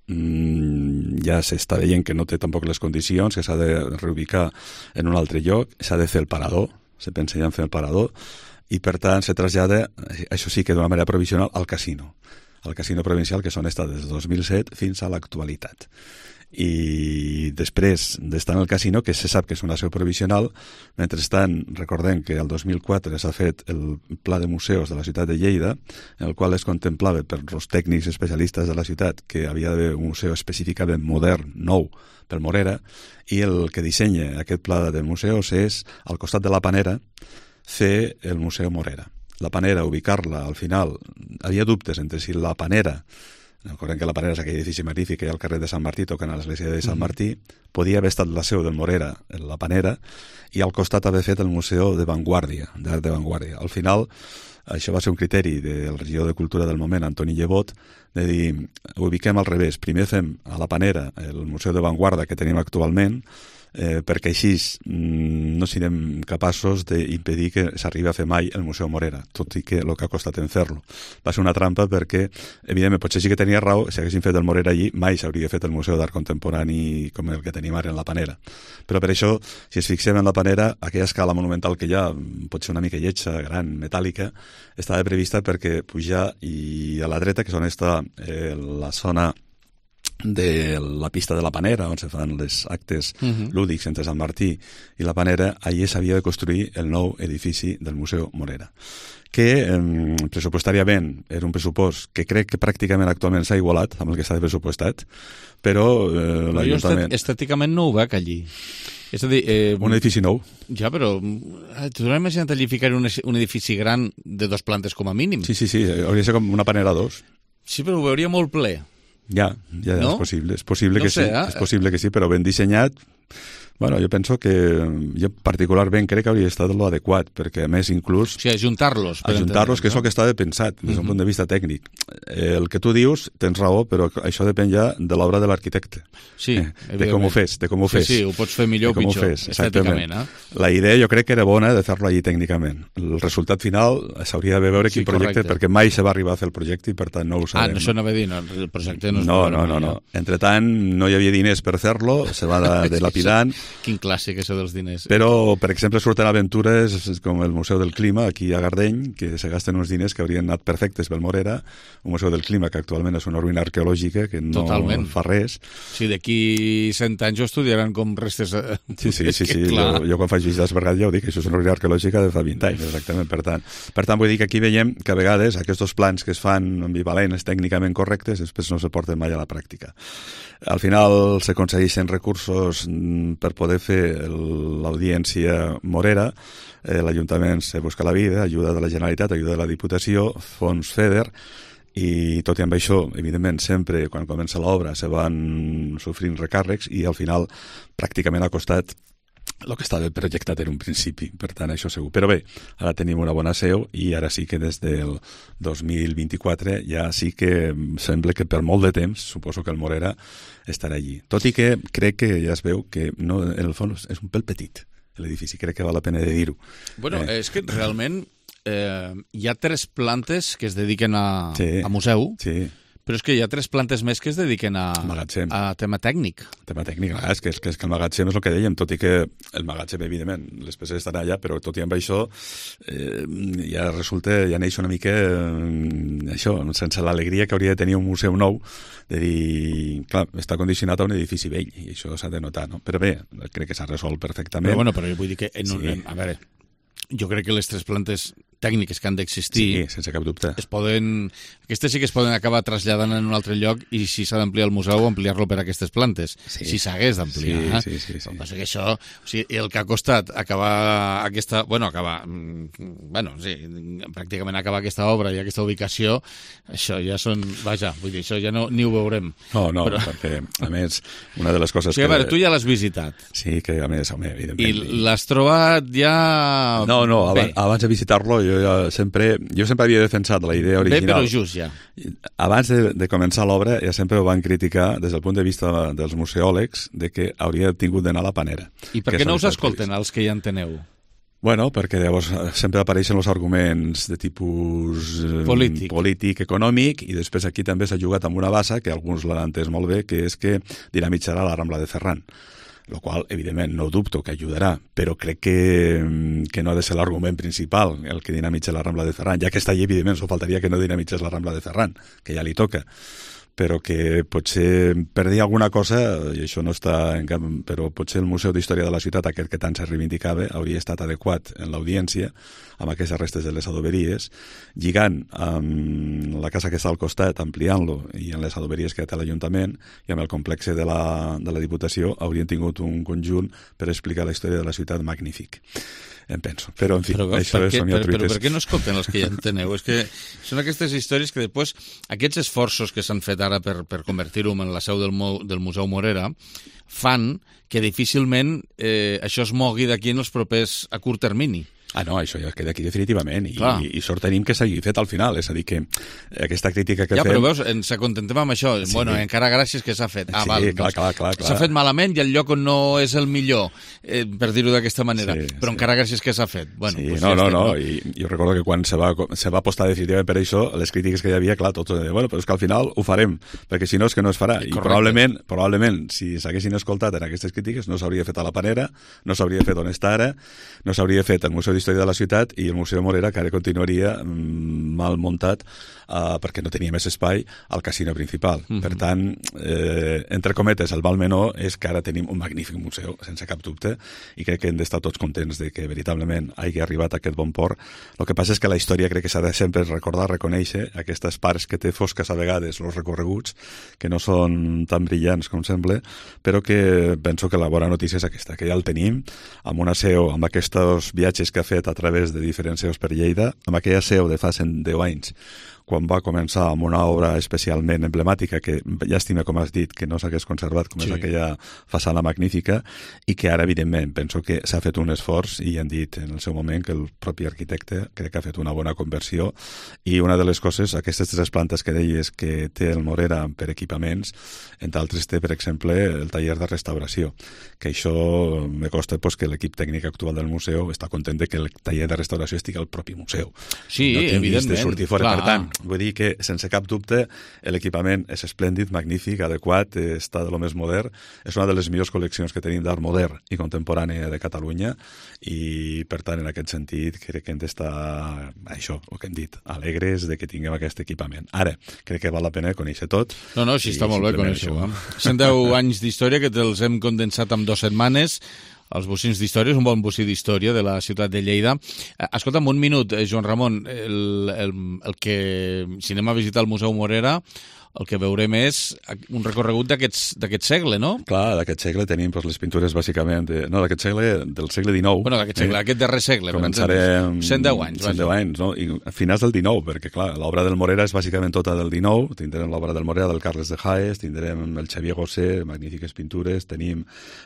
ja s'està veient que no té tampoc les condicions, que s'ha de reubicar en un altre lloc, s'ha de fer el parador, se pensa ja en fer el parador, i per tant se trasllada, això sí que d'una manera provisional, al casino provincial, que són estat des de 2007 fins a l'actualitat. I després d'estar en el casino, que se sap que és una seu provisional, mentrestant recordem que el 2004 s'ha fet el pla de museus de la ciutat de Lleida, en el qual es contemplava per els tècnics especialistes de la ciutat que havia d'haver un museu específicament modern, nou, pel Morera, i el que dissenya aquest pla de museus és, al costat de la Panera, fer el Museu Morera. La Panera, ubicar-la al final, havia dubtes entre si la Panera, recordem que la Panera és aquell edifici magnífic que hi ha al carrer de Sant Martí, tocant a l'església de Sant Martí, podia haver estat la seu del Morera, la Panera, i al costat haver fet el Museu de Vanguardia, d'Art de Vanguardia. Al final, això va ser un criteri del regidor de Cultura del moment, Antoni Llevot, de dir, ho ubiquem al revés. Primer fem a la Panera el Museu de Vanguardia que tenim actualment, perquè així no serem capaços d'impedir que s'arribi a fer mai el Museu Morera, tot i que el que ha costat en fer-lo. Va ser una trampa perquè, evidentment, potser sí que tenia raó, si haguessin fet el Morera allí, mai s'hauria fet el Museu d'Art Contemporani com el que tenim ara en la Panera. Però per això, si es fixem en la Panera, aquella escala monumental que hi ha, potser una mica lletja, gran, metàl·lica, estava prevista perquè pujar i a la dreta, que és on està la zona de la pista de la Panera, on se fan els actes lúdics entre Sant Martí i la Panera, allí s'havia de construir el nou edifici del Museu Morera, que pressupostàriament era un pressupost que crec que pràcticament actualment s'ha igualat amb el que s'ha pressupostat, però l'Ajuntament... Estèticament no ho veig allí. És a dir... un edifici nou. Ja, però t'ho has imaginat allí ficar un edifici gran de 2 plantes com a mínim? Sí, hauria de ser com una Panera 2. Sí, però ho veuria molt ple. Ja, no? És possible que sí, és possible que sí, però ben dissenyat. Bueno, jo penso que jo particularment crec que hauria estat l'adequat, perquè a més inclús... O sigui, ajuntar-los. Ajuntar-los, que és el que estava pensat des d'un punt de vista tècnic. El que tu dius, tens raó, però això depèn ja de l'obra de l'arquitecte. Sí, de com ho fes, Sí, ho pots fer millor o pitjor, estèticament. La idea jo crec que era bona de fer-lo allí tècnicament. El resultat final s'hauria de veure quin projecte, perquè mai se va arribar a fer el projecte i per tant no ho sabem. No això anava a dir, el projecte no es No. Entre tant, no hi havia diners per fer-lo, se va dilapidant. Quin clàssic, això dels diners. Però, per exemple, surten aventures com el Museu del Clima, aquí a Gardeny, que se gasten uns diners que haurien anat perfectes pel Morera, un Museu del Clima que actualment és una ruïna arqueològica que no fa res. Sí, d'aquí 100 anys ho estudiaran com restes... Sí. Jo quan faig visites per ja ho dic, això és una ruïna arqueològica de fa 20 anys, exactament. Per tant, vull dir que aquí veiem que a vegades aquests plans que es fan ambivalents, tècnicament correctes, després no se porten mai a la pràctica. Al final s'aconsegueixen recursos per poder fer l'audiència morera, l'Ajuntament se busca la vida, ajuda de la Generalitat, ajuda de la Diputació, fons FEDER, i tot i amb això, evidentment, sempre quan comença l'obra se van sofrint recàrrecs i al final pràcticament ha costat el que estava projectat en un principi, per tant això segur. Però bé, ara tenim una bona seu i ara sí que des del 2024 ja sí que sembla que per molt de temps, suposo que el Morera estarà allí. Tot i que crec que ja es veu que no, en el fons és un pèl petit l'edifici, crec que val la pena de dir-ho. Bueno, és que realment hi ha 3 plantes que es dediquen a museu, però és que hi ha 3 plantes més que es dediquen a tema tècnic. Tema tècnic, és que el magatzem és el que dèiem, tot i que el magatzem, evidentment, les peces estan allà, però tot i amb això ja neix una mica això, sense l'alegria que hauria de tenir un museu nou, de dir, clar, està condicionat a un edifici vell, i això s'ha de notar, no? Però bé, crec que s'ha resolt perfectament. Però bueno, vull dir que, a veure, jo crec que les 3 plantes tècniques que han d'existir... Sí, sense cap dubte. Aquestes sí que es poden acabar traslladant en un altre lloc i si s'ha d'ampliar el museu, ampliar-lo per aquestes plantes. Si s'hagués d'ampliar. Sí. El que passa que això, el que ha costat acabar aquesta... pràcticament acabar aquesta obra i aquesta ubicació, això ja són... Vaja, vull dir, això ja ni ho veurem. No, perquè, a més, una de les coses que... A veure, tu ja l'has visitat. Sí, que a més, home, evidentment... I l'has trobat ja... No, abans de visitar-lo jo sempre havia defensat la idea original. Bé, però just ja. Abans de començar l'obra ja sempre ho van criticar des del punt de vista dels museòlegs de que hauria tingut d'anar a la Panera. I per què no us escolten els que ja en teneu? Bueno, perquè llavors sempre apareixen els arguments de tipus polític, econòmic, i després aquí també s'ha jugat amb una base que alguns l'han entès molt bé, que és que dinamitzarà la Rambla de Ferran. El qual, evidentment, no dubto que ajudarà, però crec que no ha de ser l'argument principal el que dinamitza la Rambla de Ferran, ja que està allí, evidentment, s'ho faltaria que no dinamitzés la Rambla de Ferran, que ja li toca, però que potser per dir alguna cosa, i això no està en cap, però potser el Museu d'Història de la Ciutat, aquest que tant se reivindicava, hauria estat adequat en l'audiència amb aquestes restes de les adoberies, lligant amb la casa que està al costat, ampliant-lo, i en les adoberies que té l'Ajuntament, i amb el complex de la Diputació, haurien tingut un conjunt per explicar la història de la ciutat magnífic. Em penso. Però, en fi, això són Però per què no escolten els que ja en teneu? És que són aquestes històries que després, aquests esforços que s'han fet ara per convertir-ho en la seu del Museu Morera, fan que difícilment això es mogui d'aquí en els propers a curt termini. No, això ja queda aquí definitivament i sort tenim que s'hagi fet al final, és a dir que aquesta crítica que fem... Ja, però veus, ens acontem amb això, encara gràcies que s'ha fet. Clar. S'ha fet malament i el lloc on no és el millor, per dir-ho d'aquesta manera, però encara gràcies que s'ha fet. No, i jo recordo que quan se va apostar definitivament per això, les crítiques que hi havia, clar, tots però és que al final ho farem, perquè si no és que no es farà, i probablement si s'haguessin escoltat en aquestes crítiques no s'hauria fet a la Panera, no s'hauria fet on està ara, no s'hauria fet al Museu d'Història de la Ciutat i el Museu Morera, que ara continuaria mal muntat perquè no tenia més espai al casino principal. Per tant, entre cometes, el mal menor és que ara tenim un magnífic museu, sense cap dubte, i crec que hem d'estar tots contents de que veritablement hagi arribat a aquest bon port. El que passa és que la història crec que s'ha de sempre recordar, reconèixer aquestes parts que té fosques a vegades, els recorreguts, que no són tan brillants com sembla, però que penso que la bona notícia és aquesta, que ja el tenim, amb una seu, amb aquests viatges que ha fet a través de diferents seus per Lleida, amb aquella seu de fa 110 anys, quan va començar amb una obra especialment emblemàtica, que llàstima, com has dit, que no s'hagués conservat, com és aquella façana magnífica, i que ara, evidentment, penso que s'ha fet un esforç, i han dit en el seu moment que el propi arquitecte crec que ha fet una bona conversió, i una de les coses, aquestes 3 plantes que deies que té el Morera per equipaments, entre altres té, per exemple, el taller de restauració, que això me costa que l'equip tècnic actual del museu està content de que el taller de restauració estigui al propi museu. Sí, no evidentment. De sortir fora, per tant, vull dir que, sense cap dubte, l'equipament és esplèndid, magnífic, adequat, està de lo més modern. És una de les millors col·leccions que tenim d'art modern i contemporani de Catalunya i, per tant, en aquest sentit, crec que hem d'estar, això, el que hem dit, alegres de que tinguem aquest equipament. Ara, crec que val la pena conèixer tot. No, sí, està molt bé conèixer-ho. 110 anys d'història que te'ls hem condensat en 2 setmanes. Els bocins d'història, és un bon bocí d'història de la ciutat de Lleida. Escolta'm, un minut, Joan Ramon, el que, si anem a visitar el Museu Morera, el que veurem és un recorregut d'aquest segle, no? Clar, d'aquest segle tenim les pintures bàsicament... No, d'aquest segle, del segle XIX. Bueno, d'aquest segle, aquest darrer segle. Començarem... 110 anys. 110 anys, no? I a finals del XIX, perquè, clar, l'obra del Morera és bàsicament tota del XIX. Tindrem l'obra del Morera del Carles de Haes, tindrem el Xavier Gosé, magnífiques pintures, tenim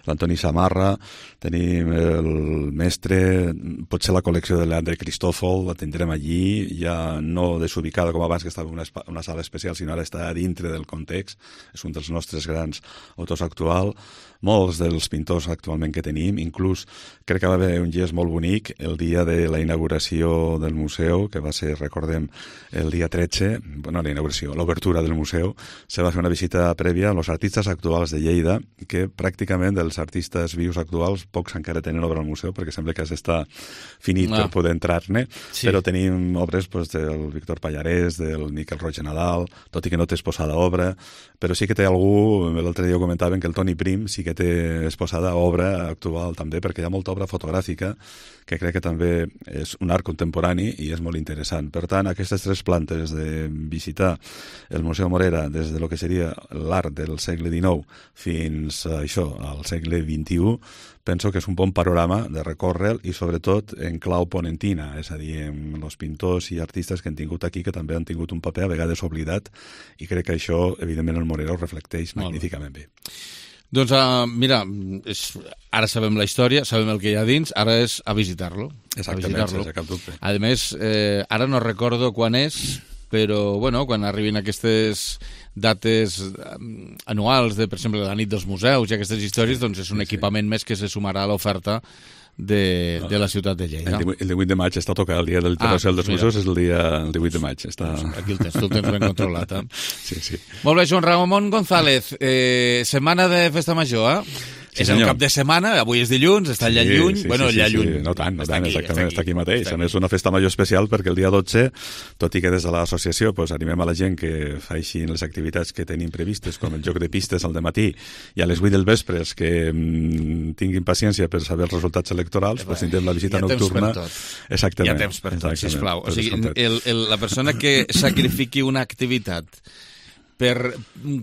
l'Antoni Samarra, tenim el mestre, potser la col·lecció de l'André Cristòfol, la tindrem allí, ja no desubicada com abans, que estava en una sala especial, sinó ara està dintre del context, és un dels nostres grans autors actuals. Molts dels pintors actualment que tenim, inclús crec que va haver un gest molt bonic el dia de la inauguració del museu, que va ser, recordem, el dia 13, bueno, la inauguració, l'obertura del museu, se va fer una visita prèvia amb els artistes actuals de Lleida, que pràcticament dels artistes vius actuals pocs encara tenen obra al museu, perquè sembla que està finit per poder entrar-ne, però tenim obres del Víctor Pallarès, del Miquel Roig Nadal, tot i que no té exposada obra, però sí que té algú, l'altre dia ho comentaven, que el Toni Prim sí que té exposada obra actual també, perquè hi ha molta obra fotogràfica que crec que també és un art contemporani i és molt interessant. Per tant, aquestes 3 plantes de visitar el Museu Morera des de lo que seria l'art del segle XIX fins a això, al segle XXI, penso que és un bon panorama de recórrer i sobretot en clau ponentina, és a dir, amb els pintors i artistes que han tingut aquí, que també han tingut un paper a vegades oblidat, i crec que això, evidentment, el Morera ho reflecteix magníficament bé. Doncs mira, ara sabem la història, sabem el que hi ha dins, ara és a visitar-lo. Exactament, sense cap dubte. A més, ara no recordo quan és, però bueno, quan arribin aquestes dates anuals de, per exemple, la nit dels museus i aquestes històries, doncs és un equipament més que se sumarà a l'oferta de la ciutat de Lleida. El 18 de maig està tocat, el dia del Internacional dels Museus és el 18 de maig. Aquí el tens, tu el tens ben controlat. Sí. Molt bé, Joan Ramon González, setmana de Festa Major, Sí, és el cap de setmana, avui és dilluns, està allà lluny. Sí. No tant, exactament, està aquí mateix. A més, una festa major especial perquè el dia 12, tot i que des de l'associació animem a la gent que faixin les activitats que tenim previstes, com el joc de pistes al dematí i a les 8 del vespre, que tinguin paciència per saber els resultats electorals, tindrem la visita nocturna. Exactament. Hi ha temps per tot, sisplau. O sigui, la persona que sacrifiqui una activitat per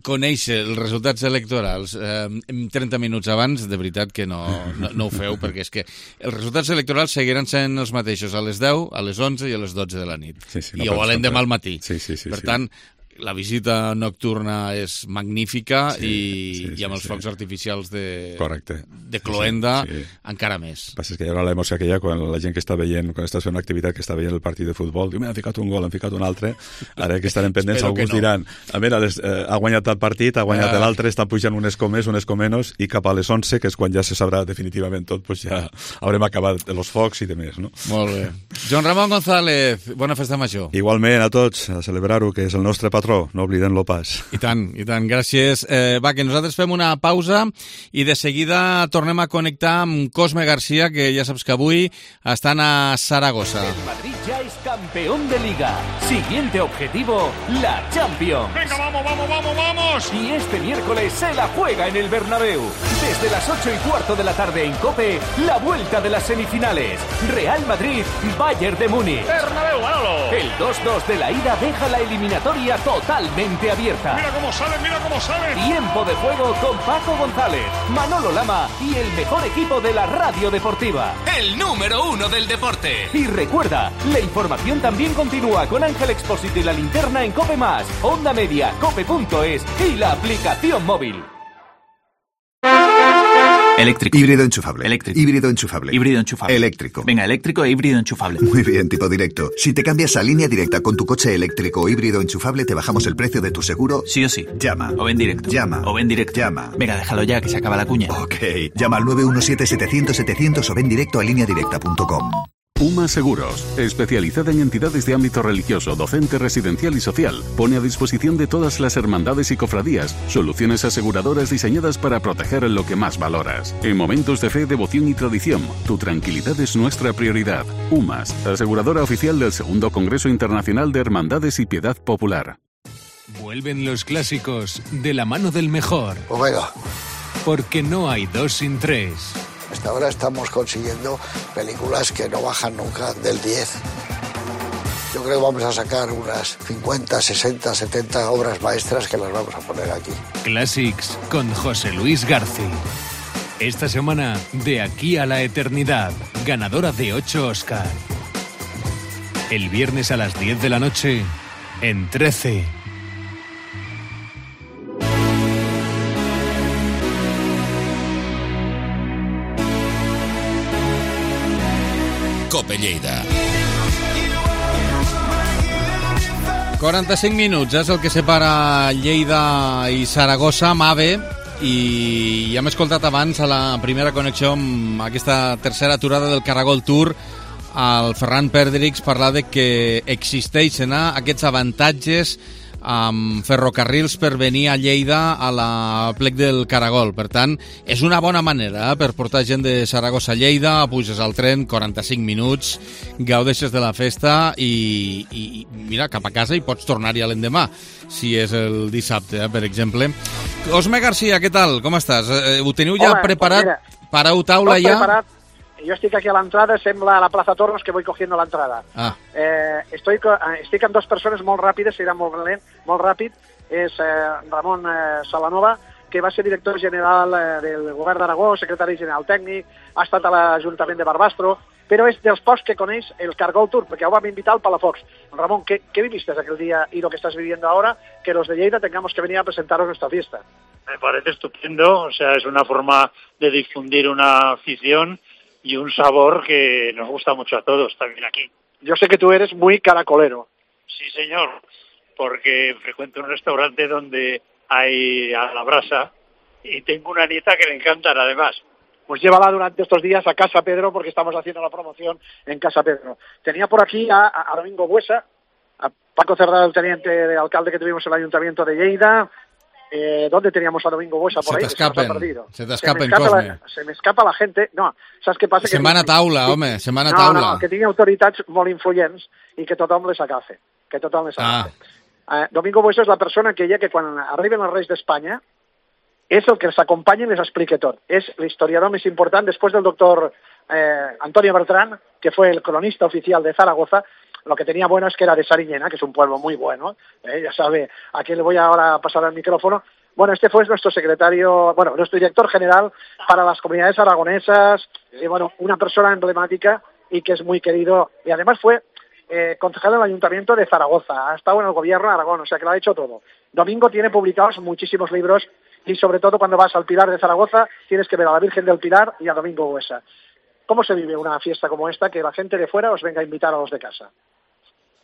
conèixer els resultats electorals 30 minuts abans, de veritat que no ho feu, perquè és que els resultats electorals seguiran sent els mateixos a les 10, a les 11 i a les 12 de la nit. I ho volen demà al matí. Per tant, la visita nocturna és magnífica i amb els focs artificials de cloenda encara més. El que passa és que hi haurà l'emoció aquella quan la gent que està veient, quan estàs fent una activitat que està veient el partit de futbol, diu, m'han ficat un gol, han ficat un altre, ara que estarem pendents, alguns diran, a veure, ha guanyat el partit, ha guanyat l'altre, estan pujant unes com més, unes com menys, i cap a les 11, que és quan ja se sabrà definitivament tot, doncs ja haurem acabat els focs i demés, no? Molt bé. Joan Ramon González, bona festa major. Igualment a tots, a celebrar-ho, que és el nostre patró, no oblidem-lo pas. I tant, gràcies. Va, que nosaltres fem una pausa i de seguida tornem a connectar amb Cosme Garcia, que ja saps que avui estan a Saragossa. El Madrid ja és campió. Campeón de Liga. Siguiente objetivo, la Champions. Venga, vamos. Y este miércoles se la juega en el Bernabéu. Desde las 8:15 de la tarde en COPE, la vuelta de las semifinales. Real Madrid, Bayern de Múnich. Bernabéu, Manolo. El 2-2 de la ida deja la eliminatoria totalmente abierta. Mira cómo salen. Tiempo de juego con Paco González, Manolo Lama y el mejor equipo de la radio deportiva. El número 1 del deporte. Y recuerda, la información también continúa con Ángel Expósito y la linterna en COPE+, Onda Media, cope.es y la aplicación móvil. Eléctrico. Híbrido enchufable. Eléctrico. Híbrido enchufable. Híbrido enchufable. Eléctrico. Venga, eléctrico e híbrido enchufable. Muy bien, tipo directo. Si te cambias a línea directa con tu coche eléctrico o híbrido enchufable, te bajamos el precio de tu seguro. Sí o sí. Llama. O ven directo. Llama. O ven directo. Llama. Venga, déjalo ya, que se acaba la cuña. Ok. Llama al 917-700-700 o ven directo a lineadirecta.com. UMA Seguros, especializada en entidades de ámbito religioso, docente, residencial y social, pone a disposición de todas las hermandades y cofradías soluciones aseguradoras diseñadas para proteger lo que más valoras. En momentos de fe, devoción y tradición, tu tranquilidad es nuestra prioridad. UMAS, aseguradora oficial del Segundo Congreso Internacional de Hermandades y Piedad Popular. Vuelven los clásicos de la mano del mejor. Omega. Porque no hay 2 sin 3. Hasta ahora estamos consiguiendo películas que no bajan nunca del 10. Yo creo que vamos a sacar unas 50, 60, 70 obras maestras que las vamos a poner aquí. Classics con José Luis García. Esta semana, De aquí a la eternidad, ganadora de 8 Oscar. El viernes a las 10 de la noche, en 13. Cope Lleida. 45 minuts és el que separa Lleida i Saragossa, MAVE, i ja hem escoltat abans a la primera connexió amb aquesta tercera aturada del Caragol Tour al Ferran Perdrix parlar de que existeixen aquests avantatges amb ferrocarrils per venir a Lleida a la plec del Caragol. Per tant, és una bona manera per portar gent de Saragossa a Lleida, puges al tren, 45 minuts, gaudeixes de la festa i mira, cap a casa i pots tornar-hi a l'endemà, si és el dissabte, per exemple. Osme García, què tal? Com estàs? Ho teniu ja preparat? Pareu taula ja? Preparat. Yo estoy aquí a la entrada, sembla a la Plaza Tornos que voy cogiendo la entrada. Estic amb dos persones molt ràpides, serà molt ràpid. És Ramon Salanova, que va ser director general del Govern d'Aragó, secretari general tècnic, ha estat a l'Ajuntament de Barbastro, però és dels pocs que coneix el Caragol Tour, perquè ho vam invitar al Palafox. Ramón, ¿qué viviste aquel día y lo que estás viviendo ahora? Que los de Lleida tengamos que venir a presentaros nuestra fiesta. Me parece estupendo, o sea, es una forma de difundir una afición y un sabor que nos gusta mucho a todos también aquí. Yo sé que tú eres muy caracolero. Sí, señor, porque frecuento un restaurante donde hay a la brasa y tengo una nieta que le encantan además. Pues llévala durante estos días a Casa Pedro porque estamos haciendo la promoción en Casa Pedro. Tenía por aquí a Domingo Buesa, a Paco Cerdá, el teniente de alcalde que tuvimos en el Ayuntamiento de Lleida. ¿Dónde teníamos a Domingo Buesa por ahí? Se te escapen, Cosme. Se me escapa la gente. No, saps què passa? Setmana taula, home, setmana taula. No, que tingui autoritats molt influents i que tothom les agafe. Domingo Buesa és la persona que quan arriben els Reis d'Espanya és el que els acompanya i les explica tot. És l'historiador més important, després del doctor Antonio Bertrán, que fue el cronista oficial de Zaragoza. Lo que tenía bueno es que era de Sariñena, que es un pueblo muy bueno. Ya sabe, a quién le voy ahora a pasar el micrófono. Bueno, este fue nuestro nuestro director general para las comunidades aragonesas. Y bueno, una persona emblemática y que es muy querido. Y además fue concejal del Ayuntamiento de Zaragoza. Ha estado en el gobierno de Aragón, o sea que lo ha hecho todo. Domingo tiene publicados muchísimos libros y sobre todo cuando vas al Pilar de Zaragoza tienes que ver a la Virgen del Pilar y a Domingo Buesa. ¿Cómo se vive una fiesta como esta que la gente de fuera os venga a invitar a los de casa?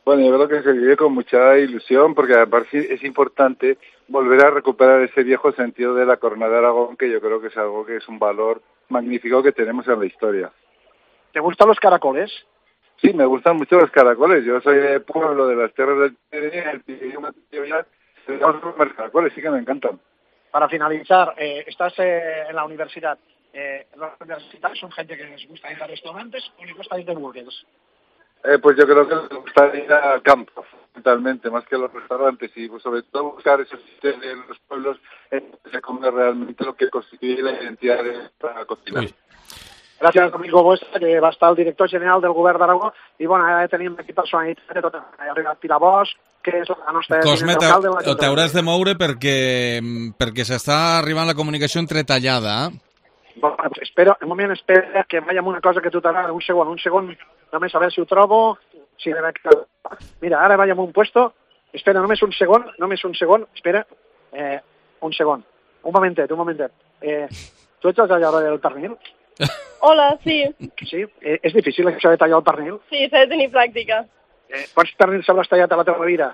Bueno, yo creo que se vive con mucha ilusión porque aparte es importante volver a recuperar ese viejo sentido de la Corona de Aragón, que yo creo que es algo que es un valor magnífico que tenemos en la historia. ¿Te gustan los caracoles? Sí, me gustan mucho los caracoles. Yo soy de pueblo de las tierras del Pirineo, tenemos los caracoles, sí que me encantan. Para finalizar, estás en la universidad. ¿Los universitarios son gente que les gusta ir a restaurantes o les gusta ir de burgers? Pues yo creo que les gustaría campo, fundamentalmente, más que los restaurantes, y pues, sobre todo buscar esos sitios en los pueblos en que se come realmente lo que constituye la identidad de esta cocina. Gràcies, amigo vostre, que va estar el director general del govern d'Aragó, i bueno, ara tenim aquí personalitat de tot. Ha arribat Pilar Bosch, que és la nostra... Cosme, t'hauràs de moure perquè s'està arribant la comunicació entretallada. Bueno, pues espera que vaya amb una cosa que tu t'agrada. Un segon, només a veure si ho trobo. Sí, mira, ara vaig amb un puesto. Espera, només un segon. Espera, un segon. Un momentet. Tu ets el tallador del pernil? Hola, sí. Sí? És difícil això de tallar el pernil? Sí, s'ha de tenir pràctica. Quants pernils hauràs tallat a la teva vida?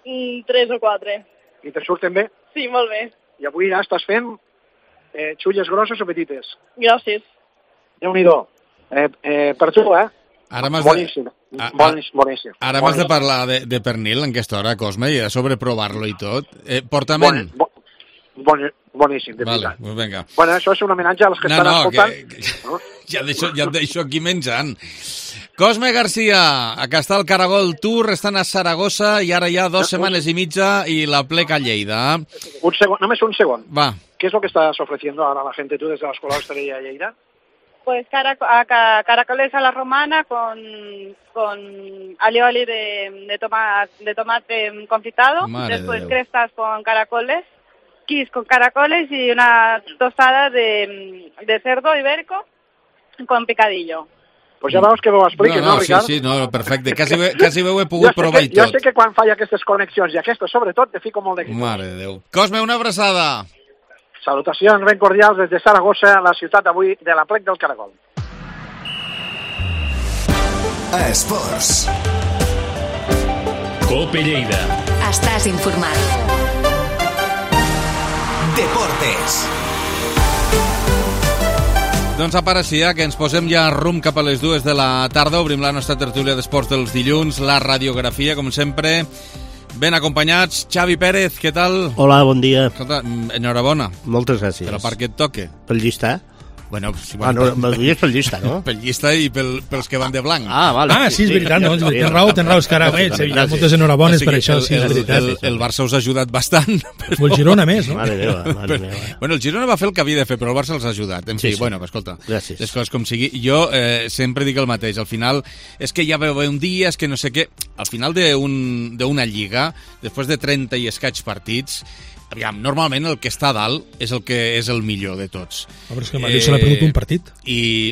3 o 4. I te surten bé? Sí, molt bé. I avui ja estàs fent xulles grosses o petites? Grosses. Déu-n'hi-do. Per tu, Boníssim. Ara m'has de parlar de pernil en aquesta hora, Cosme, i a sobre provar-lo i tot. Portament... Boníssim, de veritat. Vale, vinga. Bueno, això és un homenatge a les que estan escoltant. Ja et deixo aquí menjant. Cosme García, acá está el Caragol Tour, están a Saragossa y ahora ya 2 setmanes y mitja y la pleca a Lleida. Només un segon. Va. ¿Qué es lo que estás ofreciendo ahora a la gente tú desde la Escuela de Hostelería de Lleida? Pues caracoles a la romana con alioli de tomate confitado, después crestas con caracoles, quis con caracoles y una tostada de cerdo ibérico con picadillo. Pues ja veus que ho expliques, no, Ricard? Sí, perfecte. Quasi ho he pogut provar i tot. Jo sé que quan falla aquestes connexions, i aquestes sobretot, te fico molt d'èxit. Mare de Déu. Cosme, una abraçada. Salutacions ben cordials des de Saragossa, la ciutat avui de la plec del Caragol. Esports. Cope Lleida. Estàs informat. Deportes. Doncs apareixia que ens posem ja rumb cap a les 2 de la tarda. Obrim la nostra tertúlia d'esports dels dilluns, la radiografia, com sempre, ben acompanyats. Xavi Pérez, què tal? Hola, bon dia. Escolta, enhorabona. Moltes gràcies. Per la part que et toque. Pel llista? Bueno, me'l dius pel llista, no? Pel llista i pels que van de blanc. Vale. Sí, és veritat, no? Tens raó, és que ara moltes enhorabones per això, sí, és veritat. El Barça us ha ajudat bastant. O el Girona més, no? Mare meva. Bueno, el Girona va fer el que havia de fer, però el Barça els ha ajudat. En fi, bueno, escolta, les coses com sigui. Jo sempre dic el mateix, al final és que ja veu un dia, és que no sé què. Al final d'una lliga, després de 30 i escaig partits, aviam, normalment el que està a dalt és el que és el millor de tots. Però és que el Madrid se l'ha perdut un partit.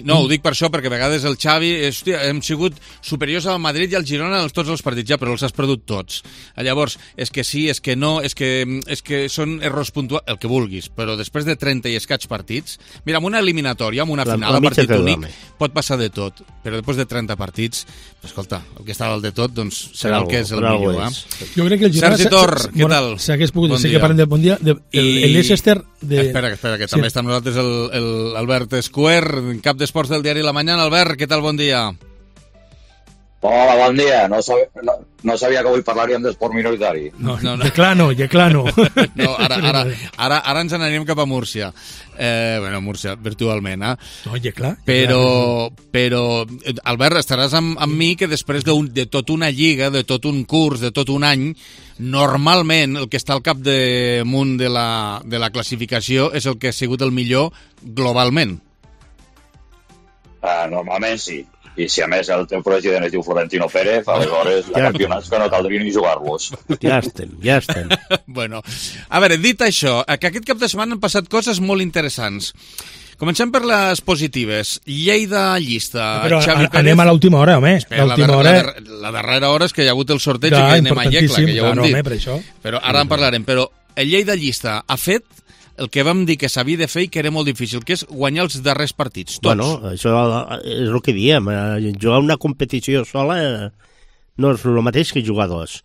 No, ho dic per això, perquè a vegades el Xavi... Hòstia, hem sigut superiors al Madrid i al Girona en tots els partits, ja, però els has perdut tots. Llavors, és que sí, és que no, és que són errors puntuals, el que vulguis, però després de 30 i escaig partits... Mira, amb una eliminatòria, amb una final a partit únic, pot passar de tot, però després de 30 partits, escolta, el que està dalt de tot, doncs serà el que és el millor. Jo crec que el Girona... Sergi Tor, què tal? S'hagués pogut dir que parlem de bon dia, el Leicester... Espera, que també està amb nosaltres l'Albert Escuer, cap d'esports del diari La Mañana. Albert, què tal? Bon dia. Hola, bon dia. No sabia que avui parlaríem d'esport minoritari. No. Yeclano. No, ara ens n'anem cap a Múrcia. Bueno, Múrcia, virtualment, No, Yeclà. Però, Albert, estaràs amb mi que després de tot una lliga, de tot un curs, de tot un any, normalment el que està al capdamunt de la classificació és el que ha sigut el millor globalment. Normalment sí. I si a més el teu president es diu Florentino Pérez, aleshores hi ha campionats que no caldria ni jugar-los. Ja estem. Bueno, a veure, dit això, que aquest cap de setmana han passat coses molt interessants. Comencem per les positives. Lleida llista. Però Xavi Pérez. Anem a l'última hora, home. La darrera hora és que hi ha hagut el sorteig i que anem a Lleida, que ja ho hem dit. Per això. Però ara en parlarem. Però el Lleida llista ha fet el que vam dir que s'havia de fer i que era molt difícil, que és guanyar els darrers partits, tots. Bueno, això és el que diem. Jugar una competició sola no és el mateix que jugar dos.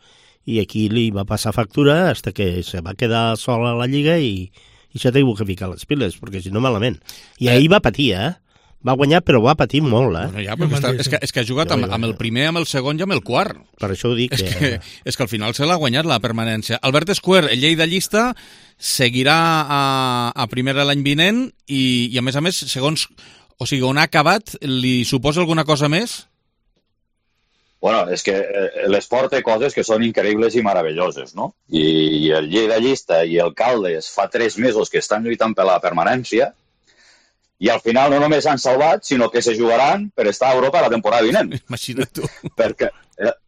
I aquí li va passar factura fins que se va quedar sola a la Lliga i s'ha tingut que ficar les piles, perquè si no malament. I ahir va patir, Va guanyar, però va patir molt, Bueno, ja, és que ha jugat amb el primer, amb el segon i amb el quart. Per això ho dic. És que al final se l'ha guanyat la permanència. Albert Escuer, el Lleida llista, seguirà a primera l'any vinent i a més, segons... O sigui, on ha acabat, li suposa alguna cosa més? Bueno, és que l'esport té coses que són increïbles i meravelloses, no? I el Lleida i el Caldes fa 3 mesos que estan lluitant per la permanència i al final no només s'han salvat, sinó que se jugaran per estar a Europa la temporada vinent. Imagina't tu. Perquè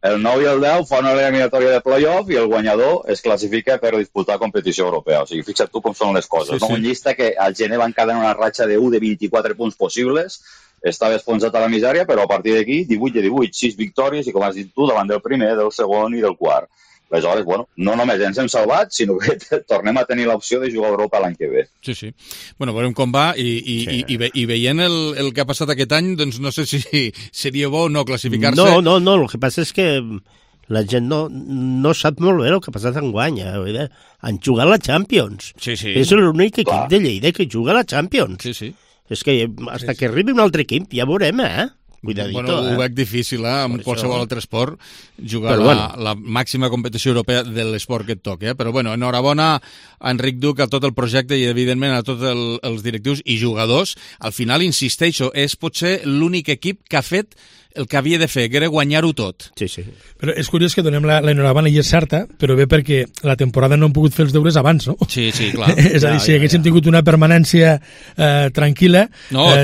el 9 i el 10 fan una eliminatòria de play-off i el guanyador es classifica per disputar competició europea. O sigui, fixa't tu com són les coses. Sí. Un Llista que al gener van quedar en una ratxa de 1 de 24 punts possibles, estava esfonsat a la misèria, però a partir d'aquí 18 de 18, 6 victòries i, com has dit tu, davant del primer, del segon i del quart. Aleshores, bueno, no només ens hem salvat, sinó que tornem a tenir l'opció de jugar a Europa l'any que ve. Sí. Bueno, veurem com va i veient el que ha passat aquest any, doncs no sé si seria bo o no classificar-se. No, el que passa és que la gent no sap molt bé el que ha passat enguany. Han jugat la Champions. Sí. És l'únic equip de Lleida que juga a la Champions. Sí. És que hasta que arribi un altre equip ja veurem, Cuidadito, bueno, ho veig difícil, amb qualsevol altre esport, jugar la màxima competició europea de l'esport que et toca. Però, bueno, enhorabona a Enric Duc, a tot el projecte i, evidentment, a tots els directius i jugadors. Al final, insisteixo, és potser l'únic equip que ha fet el que havia de fer, que era guanyar-ho tot. Sí. Però és curiós que donem l'enhorabona i és certa, però bé perquè la temporada no han pogut fer els deures abans, no? Sí, clar. És a dir, si haguéssim tingut una permanència tranquil·la,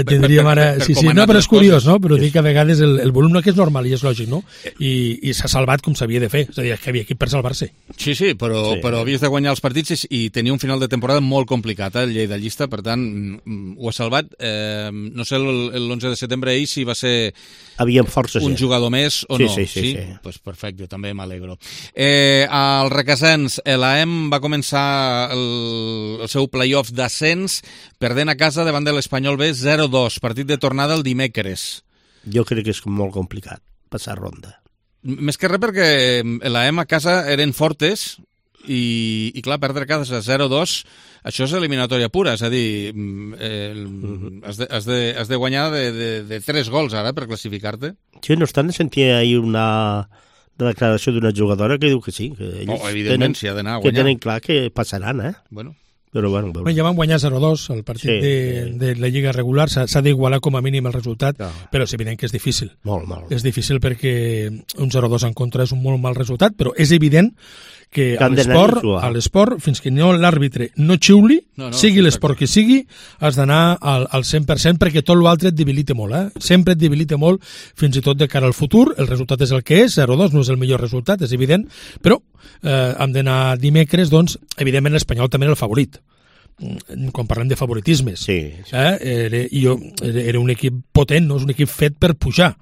tindríem ara... No, però és curiós, no? Però dic que a vegades el volum no que és normal i és lògic, no? I s'ha salvat com s'havia de fer. És a dir, que havia equip per salvar-se. Sí, però havies de guanyar els partits i tenia un final de temporada molt complicat, el Lleida Llista, per tant, ho ha salvat. No sé l'11 de setembre ahir si va ser... forces, un jugador més o no? Sí. Pues perfecte, també m'alegro. Al Requesens, l'AEM va començar el seu play-off d'ascens perdent a casa davant de l'Espanyol B 0-2, partit de tornada el dimecres. Jo crec que és molt complicat passar ronda. Més que res perquè l'AEM a casa eren fortes i clar, perdre a casa 0-2, això és eliminatòria pura, és a dir, has de guanyar de 3 gols ara per classificar-te. Sí, no obstant, sentia ahir una declaració d'una jugadora que diu que sí, que ells evidentment, si ha d'anar a guanyar. Que tenen clar que passaran, Bueno. Però bueno, ja van guanyar 0-2 el partit de la Lliga regular, s'ha d'igualar com a mínim el resultat, però és evident que és difícil. Molt. És difícil perquè un 0-2 en contra és un molt mal resultat, però és evident que a l'esport, fins que l'àrbitre no xiuli, sigui l'esport que sigui, has d'anar al 100% perquè tot l'altre et debilita molt, sempre et debilita molt, fins i tot de cara al futur. El resultat és el que és, 0-2 no és el millor resultat, és evident, però hem d'anar dimecres, doncs, evidentment l'Espanyol també era el favorit. Quan parlem de favoritismes, era un equip potent, no és un equip fet per pujar.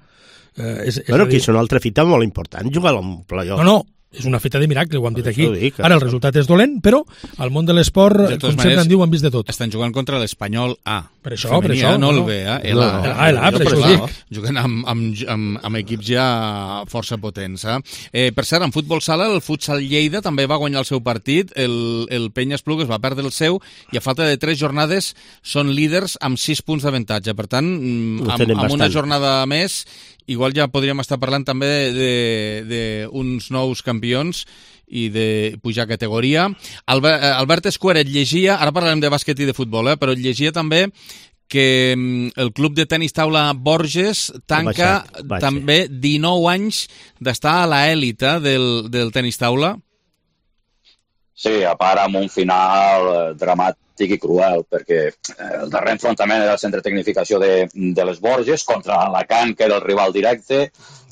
Però que és una altra fita molt important, jugar a un play-off. No, és una feta de miracle, ho hem dit aquí. Ara el resultat és dolent, però al món de l'esport, com sempre en diu, han vist de tot. Estan jugant contra l'Espanyol A. Per això. No el B, per això ho dic. Juguen amb equips ja força potents. Per cert, en futbol sala, el Futsal Lleida també va guanyar el seu partit, el Penya Esplugues va perdre el seu, i a falta de 3 jornades són líders amb 6 punts d'avantatge. Per tant, amb una jornada més, igual ja podríem estar parlant també d'uns nous campions i de pujar categoria. Albert Escuera et llegia, ara parlarem de bàsquet i de futbol, però et llegia també que el club de tenis taula Borges tanca també 19 anys d'estar a l'elit del tenis taula. Sí, a part amb un final dramàtic i cruel, perquè el darrer enfrontament era el centre de tecnificació de les Borges contra Alacant, que era el rival directe.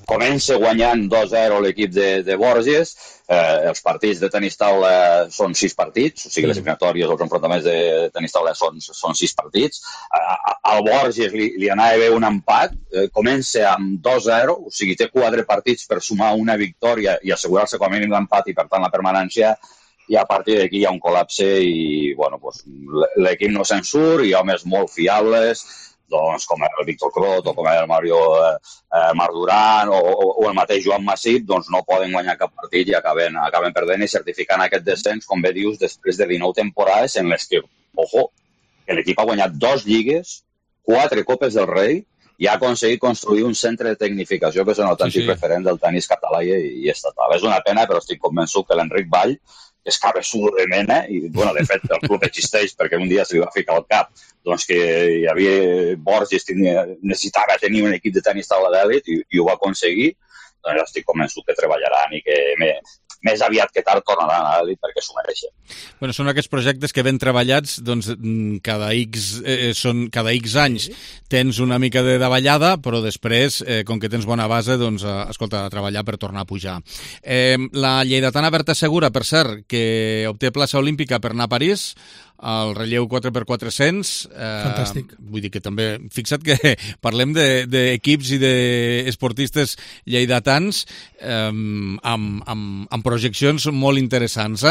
Comença guanyant 2-0 l'equip de Borges. Els partits de tenis taula són 6 partits, o sigui, les eliminatòries, els enfrontaments de tenis taula són 6 partits. Al Borges li anava bé un empat, comença amb 2-0, o sigui, té 4 partits per sumar una victòria i assegurar-se com a mínim l'empat i, per tant, la permanència. I a partir d'aquí hi ha un col·lapse i l'equip no se'n surt, i homes molt fiables, doncs, com el Víctor Clot o com el Mario Marduran o el mateix Joan Massip, doncs no poden guanyar cap partit i acaben perdent i certificant aquest descens, com bé dius, després de 19 temporades en les que, l'equip ha guanyat 2 lligues, 4 Copes del Rei i ha aconseguit construir un centre de tecnificació que és un autèntic referent del tenis català i estatal. És una pena, però estic convençut que l'Enric Vall és cabeçudo de mena, i de fet el club existeix perquè un dia se li va ficar al cap doncs que hi havia Borges necessitava tenir un equip de tenis taula d'èlit i ho va aconseguir, doncs estic convençut que treballaran i que més aviat que tard tornaran a l'elit perquè s'ho mereixen. Bueno, són aquests projectes que ben treballats, doncs cada X anys tens una mica de davallada, però després, com que tens bona base, doncs, escolta, a treballar per tornar a pujar. La lleidatana Berta Segura, per cert, que obté plaça olímpica per anar a París, el relleu 4x400. Fantàstic. Vull dir que també, fixa't que parlem d'equips i d'esportistes lleidatans amb projeccions molt interessants.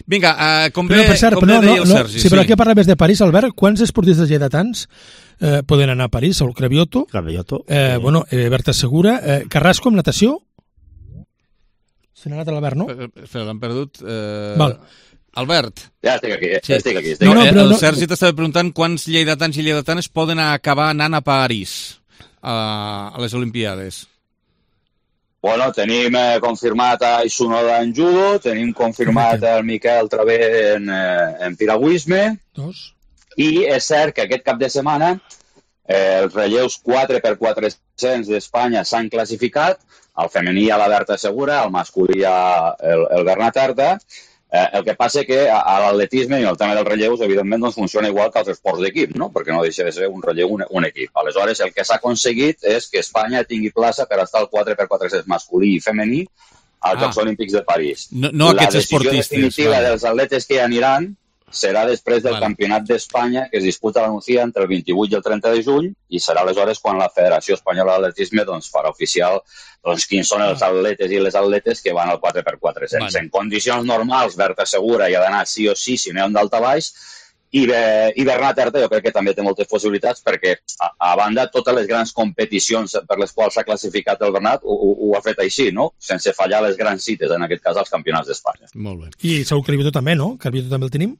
Vinga, com bé deia el Sergi. Sí, però aquí parlaves de París, Albert. Quants esportistes lleidatans poden anar a París? Saúl Cravioto. Berta Segura. Carrasco, amb natació? Se n'ha anat l'Albert, no? Espera, l'han perdut. Val. Albert. Ja estic aquí. El Sergi t'estava preguntant quants lleidatans i lleidatanes poden acabar anant a París a les Olimpiades. Bueno, tenim confirmat a Isunoda en judo, tenim confirmat el Miquel Travé en piragüisme, i és cert que aquest cap de setmana els relleus 4x400 d'Espanya s'han classificat, el femení a la Berta Segura, el masculí el Bernat Arta. El que passa que a l'atletisme i el tema dels relleus, evidentment, doncs funciona igual que els esports d'equip, no? Perquè no deixa de ser un relleu un equip. Aleshores, el que s'ha aconseguit és que Espanya tingui plaça per estar al 4x400 masculí i femení als Jocs Olímpics de París. No aquests esportistes. La decisió definitiva dels atletes que hi aniran serà després del Campionat d'Espanya, que es disputa a la Nucía entre el 28 i el 30 de juny, i serà aleshores quan la Federació Espanyola d'Atletisme farà oficial quins són els atletes i les atletes que van al 4x400. En condicions normals, Berta Segura hi ha d'anar sí o sí, si no hi ha un daltabaix, i Bernat Arta jo crec que també té moltes possibilitats perquè, a banda, totes les grans competicions per les quals s'ha classificat el Bernat ho ha fet així, no? Sense fallar les grans cites, en aquest cas els campionats d'Espanya. Molt bé. I Saúl Cravioto també, no? Cravioto també el tenim?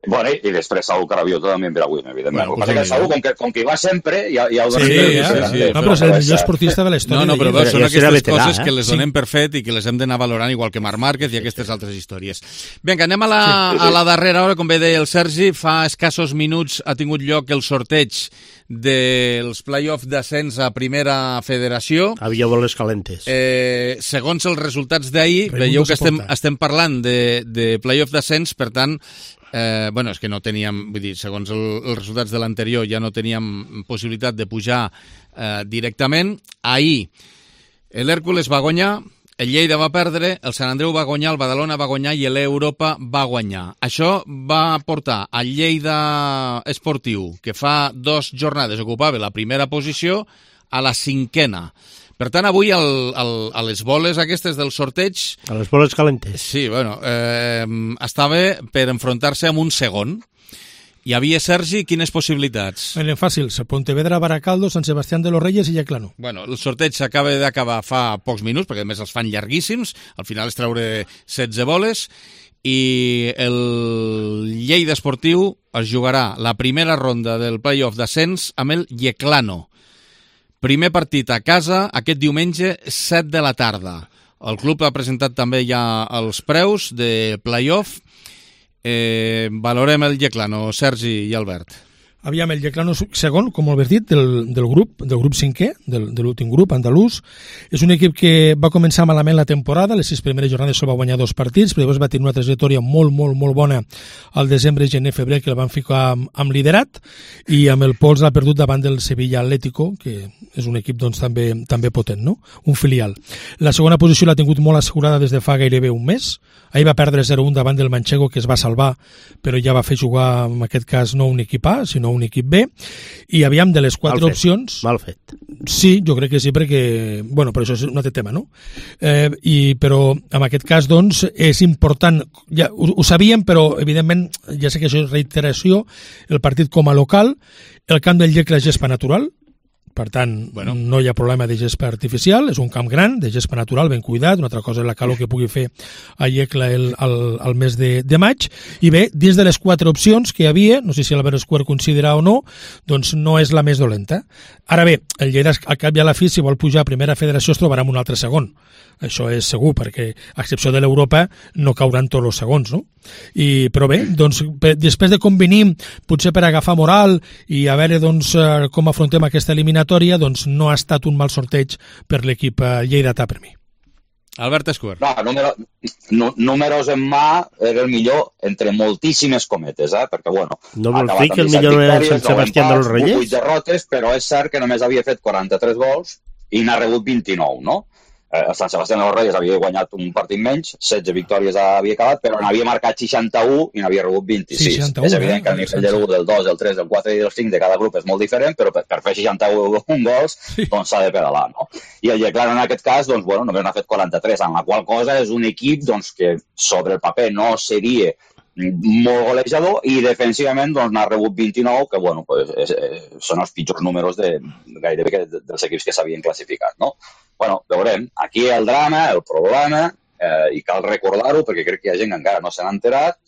Bueno, i després Saúl Cravioto també en piragüisme, evidentment. El que passa que Saúl, com que hi va sempre, ja ho donem per fet. No, però és el millor esportista de la història. No, però són aquestes coses que les donem per fet i que les hem d'anar valorant, igual que Marc Márquez i aquestes altres històries. Vinga, anem a la darrera hora, com bé deia el Sergi. Fa escassos minuts ha tingut lloc el sorteig dels play-off d'ascens a Primera Federació. Havia boles calentes. Segons els resultats d'ahir, veieu que estem parlant de play-off d'ascens, per tant, és que no teníem, vull dir, segons els resultats de l'anterior ja no teníem possibilitat de pujar directament. Ahir l'Hèrcules va guanyar, el Lleida va perdre, el Sant Andreu va guanyar, el Badalona va guanyar i l'Europa va guanyar. Això va portar al Lleida Esportiu, que fa 2 jornades ocupava la primera posició, a la 5ª. Per tant, avui a les boles aquestes del sorteig... A les boles calentes. Sí, estava per enfrontar-se amb un segon. Hi havia, Sergi, quines possibilitats? Eren fàcils. Pontevedra, Baracaldo, Sant Sebastián de los Reyes i Yeclano. Bueno, el sorteig s'acaba d'acabar fa pocs minuts, perquè a més els fan llarguíssims. Al final és treure 16 boles. I el Lleida Esportiu es jugarà la primera ronda del play-off d'ascens amb el Yeclano. Primer partit a casa, aquest diumenge, 7 de la tarda. El club ha presentat també ja els preus de play-off. Valorem el Yeclano, Sergi i Albert. Aviam, el Yeclano segon, com ho has dit, del grup 5è, de l'últim grup andalús. És un equip que va començar malament la temporada, les 6 primeres jornades sol va guanyar 2 partits, però llavors va tenir una trajectòria molt bona al desembre, gener, febrer, que el van ficar amb liderat, i amb el pols l'ha perdut davant del Sevilla Atlético, que és un equip doncs, també potent, no? Un filial. La segona posició l'ha tingut molt assegurada des de fa gairebé un mes. Ahir va perdre 0-1 davant del Manchego, que es va salvar, però ja va fer jugar, en aquest cas, no un equip A, sinó un equip B, i aviam de les 4 opcions... Mal fet. Sí, jo crec que sí, perquè... Bueno, però això és un altre tema, no? Però en aquest cas, doncs, és important... Ja, ho sabíem, però, evidentment, ja sé que això és reiteració, el partit com a local, el camp del Llecle és gespa natural, per tant, no hi ha problema de gespa artificial, és un camp gran, de gespa natural, ben cuidat, una altra cosa és la calor que pugui fer a Llecle al mes de maig, i bé, dins de les 4 opcions que hi havia, no sé si l'Albert Escuer considera o no, doncs no és la més dolenta. Ara bé, el Lleida, al cap i a la fi, si vol pujar a Primera Federació, es trobarà amb un altre segon. Això és segur, perquè a excepció de l'Europa no cauran tots els segons, no? Però bé, doncs, després de convenir, potser per agafar moral i a veure doncs, com afrontem aquesta eliminatòria, doncs no ha estat un mal sorteig per l'equip lleidatà per mi. Albert Escuer. No, números en mà era el millor entre moltíssimes cometes, perquè, bueno... No vol dir que el millor era Sant Sebastià dels Reyes? 8 derrotes, però és cert que només havia fet 43 gols i n'ha rebut 29, no? El Sant Sebastià dels Reyes havia guanyat un partit menys, 16 victòries havia acabat, però n'havia marcat 61 i n'havia rebut 26. 61, és evident que el nivell de l'1, del 2, del 3, del 4 i del 5 de cada grup és molt diferent, però per fer 61 gols doncs s'ha de pedalar, no? I el Yeclano en aquest cas, doncs, bueno, només n'ha fet 43, en la qual cosa és un equip doncs, que sobre el paper no seria molt golejador i defensivament doncs, n'ha rebut 29, que bueno, pues, són els pitjors números gairebé dels equips que s'havien classificat, no? Bueno, veurem. Aquí el drama, el problema, i cal recordar-ho perquè crec que hi ha gent que encara no se n'ha enterat,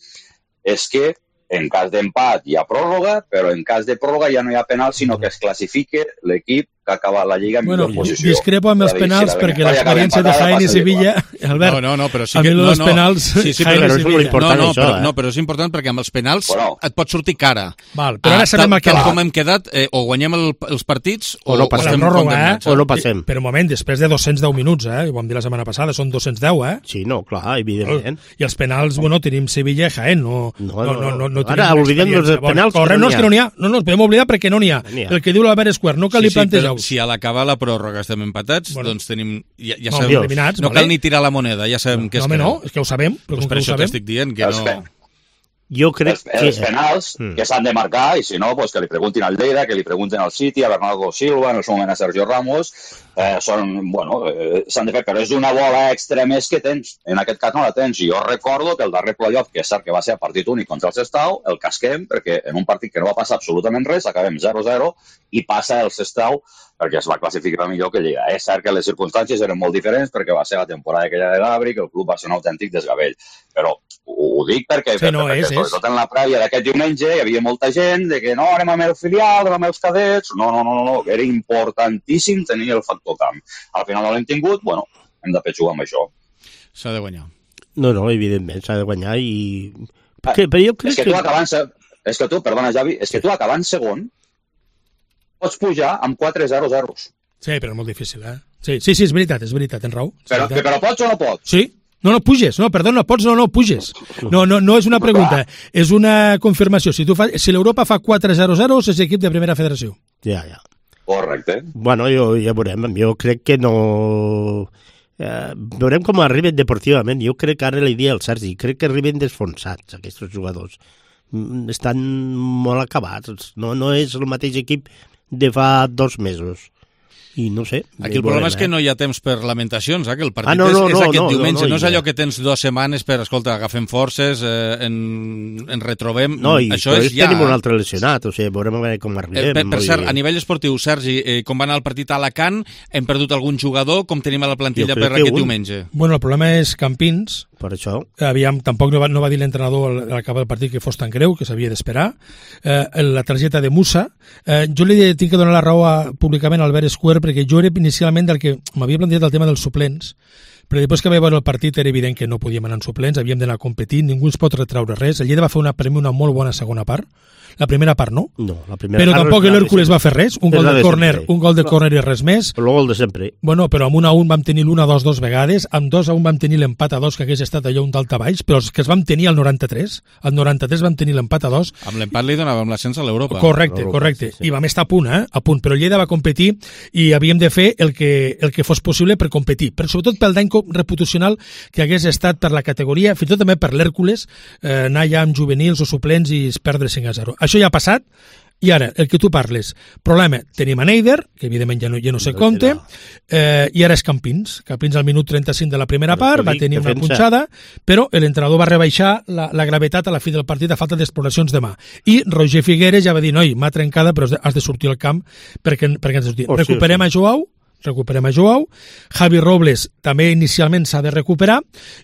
és que en cas d'empat hi ha pròrroga, però en cas de pròrroga ja no hi ha penal, sinó que es classifique l'equip que ha acabat la Lliga en millor posició. Discrepo amb els penals perquè l'experiència de Jaén i Sevilla, Albert, però sí a que, mi els penals Jaén i Sevilla. No, però és important perquè amb els penals et pot sortir cara. Val, però ara sabem el que va. Com hem quedat, o guanyem els partits o no passem. O no passem. Però un moment, després de 210 minuts, ho vam dir la setmana passada, són 210, Sí, no, clar, evidentment. I els penals, bueno, tenim Sevilla i Jaén, no ara oblidem els penals. No, és que no n'hi ha. No, podem oblidar perquè no n'hi ha. El que diu l'Albert Escuer, no cal li plantejar. Si a l'acabar la pròrroga estem empatats, doncs tenim... Ja sabem, eliminats, no cal ni tirar la moneda, ja sabem què és que no. És que ho sabem. Pues per això t'estic dient que no... Jo crec que... Els penals que s'han de marcar, i si no, pues que li preguntin al Lleida, que li preguntin al City, a Bernardo Silva, en el seu moment a Sergio Ramos, s'han de fer, però és una bola extra més que tens. En aquest cas no la tens. Jo recordo que el darrer playoff, que és cert que va ser a partit únic contra el Sestao, el casquem, perquè en un partit que no va passar absolutament res, acabem 0-0, i passa el Sestao perquè es va classificar millor que Lleida. És cert que les circumstàncies eren molt diferents perquè va ser la temporada aquella de Gabri, que el club va ser un autèntic desgavell. Però ho dic perquè, sobretot en la prèvia d'aquest diumenge hi havia molta gent de que no, anem amb el filial, anem amb els cadets. No, era importantíssim tenir el factor camp. Al final no l'hem tingut, bueno, hem de jugar amb això. S'ha de guanyar. No, evidentment, s'ha de guanyar i... Però jo crec que... Perdona, Javi, és que tu acabant segon pots pujar amb 4-0-0. Sí, però és molt difícil, Sí, és veritat, tens raó. Però pots o no pots? Sí. No puges. No, perdó, no pots, no puges. No és una pregunta, és una confirmació. Si l'Europa fa 4-0-0, és equip de primera federació. Ja. Correcte. Bueno, ja veurem. Jo crec que no... veurem com arriben deportivament. Jo crec que ara li dia al Sergi, crec que arriben desfonsats aquests jugadors. Estan molt acabats. No és el mateix equip de fa 2 mesos. I no sé. Aquí el problema és que no hi ha temps per lamentacions, que el partit és aquest diumenge. No és allò que tens 2 setmanes per, escolta, agafem forces, en retrobem. No, i això és ja... tenim un altre lesionat, o sigui, veurem com arribem. Per cert, a nivell esportiu, Sergi, com va anar el partit a Alacant, hem perdut algun jugador, com tenim a la plantilla per aquest diumenge? Bueno, el problema és Campins. Per això. Tampoc no va dir l'entrenador a l'acabar del partit que fos tan greu, que s'havia d'esperar. La targeta de Musa. Jo li tinc que donar la raó públicament a Albert Escuer, perquè jo era inicialment del que m'havia plantejat el tema dels suplents, però després que vaig veure el partit era evident que no podíem anar en suplents, havíem d'anar a competir, ningú ens pot retraure res. El Lleida va fer una molt bona segona part. La primera part no. La primera però tampoc l'Hèrcules va fer res, un gol de córner i res més. Però el gol de sempre. Bueno, però amb 1-1 vam tenir l'1-2 2 vegades, amb 2-1 vam tenir l'empat a 2, que hagués estat allò un daltabaix, però els que es vam tenir al 93, al 93 vam tenir l'empat a 2. Amb l'empat li donàvem l'ascens a l'Europa. Correcte. Sí. I vam estar a punt, però el Lleida va competir i havíem de fer el que fos possible per competir, però sobretot pel dany reputacional que hagués estat per la categoria, fins i tot també per l'Hèrcules, anar ja amb juvenils o suplents i perdre 5-0. Això ja ha passat. I ara, el que tu parles, problema, tenim a Neider, que evidentment ja no se compte, i ara és Campins al minut 35 de la primera part, va tenir una punxada, però l'entrenador va rebaixar la gravetat a la fi del partit a falta d'exploracions de mà. I Roger Figueres ja va dir, noi, m'ha trencada, però has de sortir al camp perquè has de sortir. Recuperem a Joao, Javi Robles també inicialment s'ha de recuperar,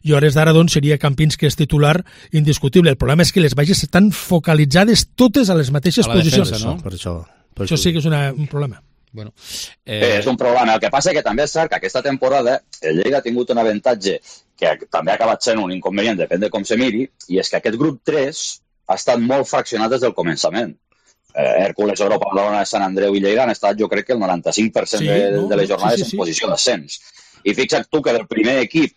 i a hores d'ara doncs seria Campins que és titular indiscutible. El problema és que les baixes estan focalitzades totes a les mateixes posicions. Defensa, no? Per això sí que és un problema. Bueno, és un problema. El que passa que també és cert que aquesta temporada el Lleida ha tingut un avantatge que també ha acabat sent un inconvenient, depèn de com se miri, i és que aquest grup 3 ha estat molt fraccionat des del començament. Hèrcules, Europa, Badalona, Sant Andreu i Lleida han estat, jo crec que el 95% de les jornades en posició d'ascens. I fixa't tu que del primer equip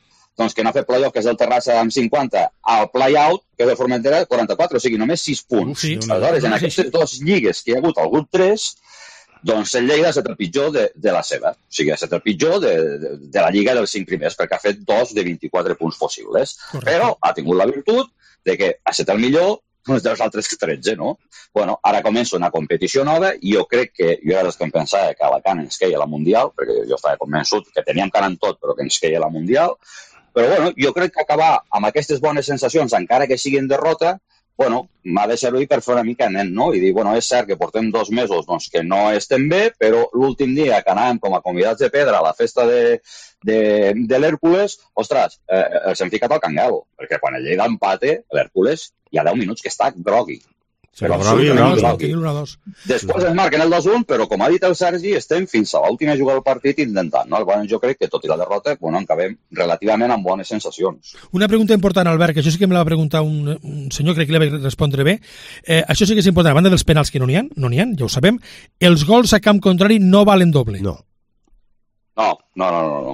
que no ha fet play-off, que és el Terrassa amb 50, al play-out, que és el Formentera, 44, o sigui, només 6 punts. Aleshores, en aquestes dues lligues que hi ha hagut al grup 3, doncs el Lleida ha estat el pitjor de la seva. O sigui, ha estat el pitjor de la lliga dels 5 primers, perquè ha fet 2 de 24 punts possibles. Correcte. Però ha tingut la virtut de que ha estat el millor dels altres 13, no? Bueno, ara comença una competició nova i jo crec que, jo era dels que em pensava que Alacant ens queia la Mundial, perquè jo estava convençut que teníem cara en tot, però que ens queia la Mundial. Però, bueno, jo crec que acabar amb aquestes bones sensacions, encara que siguin derrota, bueno, m'ha de servir per fer una mica nen, no? I dir, bueno, és cert que portem 2 mesos que no estem bé, però l'últim dia que anàvem com a convidats de pedra a la festa de l'Hèrcules, ostres, els hem ficat al cangal, perquè quan el Lleida empate, l'Hèrcules, hi ha 10 minuts que està grogui. Però grogui. Després es marquen el 2-1, però com ha dit el Sergi, estem fins a l'última jugada del partit intentant, no? Jo crec que tot i la derrota, bueno, acabem relativament amb bones sensacions. Una pregunta important, Albert, que això sí que me la va preguntar un senyor, crec que li va respondre bé. Això sí que és important, a banda dels penals que no n'hi ha, ja ho sabem, els gols a camp contrari no valen doble. No.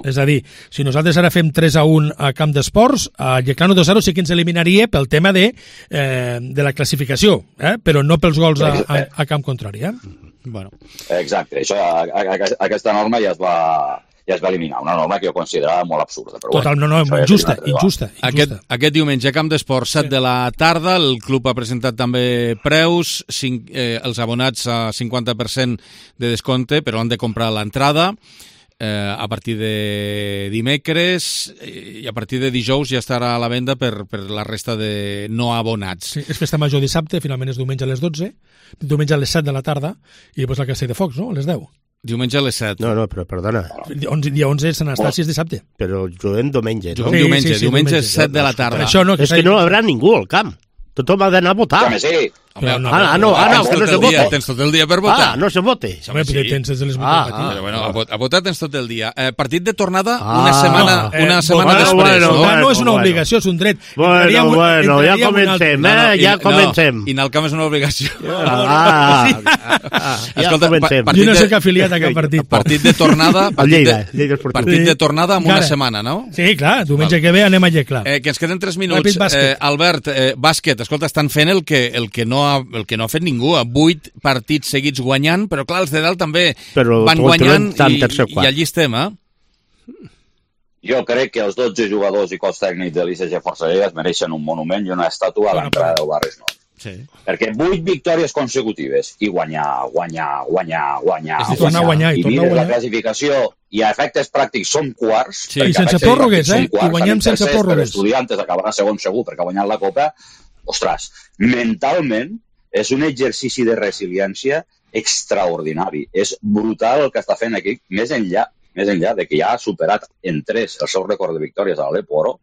És a dir, si nosaltres ara fem 3-1 a Camp d'Esports, a Llecano 2-0 sí que ens eliminaria pel tema de la classificació, però no pels gols a camp contrari. Bueno. Exacte, això, aquesta norma ja es va eliminar, una norma que jo considerava molt absurda. Però total, no, injusta. Aquest diumenge, a Camp d'Esports, 7 de la tarda, el club ha presentat també preus, els abonats a 50% de descompte, però han de comprar l'entrada. A partir de dimecres i a partir de dijous ja estarà a la venda per la resta de no abonats. Sí, és festa major dissabte, finalment és diumenge a les 12, diumenge a les 7 de la tarda i després la Castell de Focs, no? A les 10. Diumenge a les 7. No, però perdona. Dia 11 és Sant Estàcia, és dissabte. Però juguem diumenge, no? Diumenge 7 de la tarda. És que no hi haurà ningú al camp. Tothom ha d'anar a votar. Sí. No se vota. Tens tot el dia per votar. No se vote. Home, tens des de les 8 del matí. Bueno, a votar tens tot el dia. Partit de tornada una setmana després. No és una obligació, és un dret. Bueno, ja comencem, ja comencem. I anar al camp és una obligació. Ja comencem. Jo no soc afiliat a cap partit. Partit de tornada partit de tornada en una setmana, no? Sí, clar, diumenge que ve anem a Lleclar. Que ens queden 3 minuts. Albert, bàsquet, escolta, estan fent el que no ha fet ningú, 8 partits seguits guanyant, però clar, els de dalt també van guanyant i allí estem, Jo crec que els 12 jugadors i cos tècnic de l'ICG Força Lleida es mereixen un monument i una estàtua a l'entrada del Barris Nord. Sí. Perquè 8 victòries consecutives i guanyar. I mires la classificació i a efectes pràctics són quarts. Sí, i sense pròrrogues, I guanyem sense pròrrogues. Estudiantes acabarà segon segur perquè ha guanyat la Copa. Ostres, mentalment és un exercici de resiliència extraordinari. És brutal el que està fent aquí, més enllà de que ja ha superat en 3 el seu rècord de victòries a l'Eporo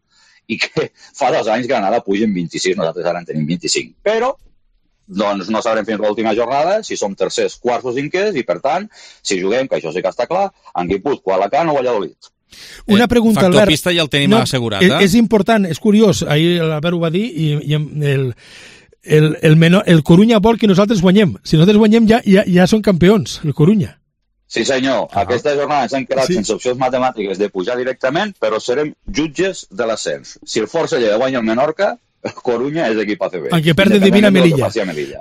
i que fa 2 anys Granada puja en 26, nosaltres ara en tenim 25. Però doncs no sabrem fins l'última jornada si som tercers, quarts o cinquers i per tant, si juguem, que això sí que està clar, en Guipúzcoa, Alacant o Valladolid. Una pregunta, Albert. Factor pista ja el tenim assegurat. És important, és curiós, ahir l'Albert ho va dir i el Corunya vol que nosaltres guanyem. Si nosaltres guanyem ja són campions, el Corunya. Sí, senyor. Aquesta jornada ens hem quedat sense opcions matemàtiques de pujar directament, però serem jutges de l'ascens. Si el Força Lleida guanya el Menorca, Corunya és equip ACB. Aunque perde Divina Melilla.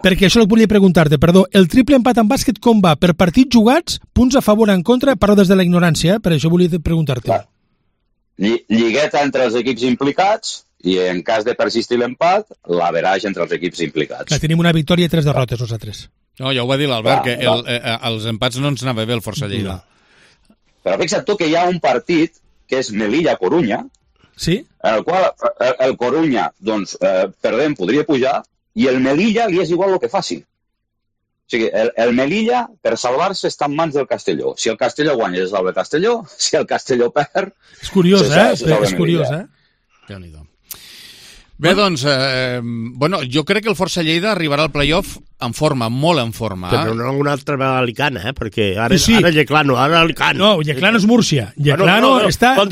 Perquè això volia preguntar-te, perdó, el triple empat en bàsquet com va? Per partits jugats, punts a favor o en contra? Parlo des de la ignorància, per això volia preguntar-te. Lligueta entre els equips implicats i en cas de persistir l'empat, l'average entre els equips implicats. Clar, tenim una victòria i 3 derrotes, nosaltres. No, ja ho va dir l'Albert, que els empats no ens anava bé el Força Lleida. Però fixa't tu que hi ha un partit que és Melilla-Corunya, sí? En el qual el Corunya, doncs, perdent, podria pujar, i el Melilla li és igual el que faci. O sigui, el Melilla, per salvar-se, està en mans del Castelló. Si el Castelló guanya, es salva el Castelló. Si el Castelló perd... És curiós, És curiós, Déu-n'hi-do. Bé, doncs, jo crec que el Força Lleida arribarà al playoff en forma, molt en forma. Però no una altra vegada a Alicant, perquè ara Yeclano, ara Alicant. No, Yeclano és Múrcia. Yeclano està... No,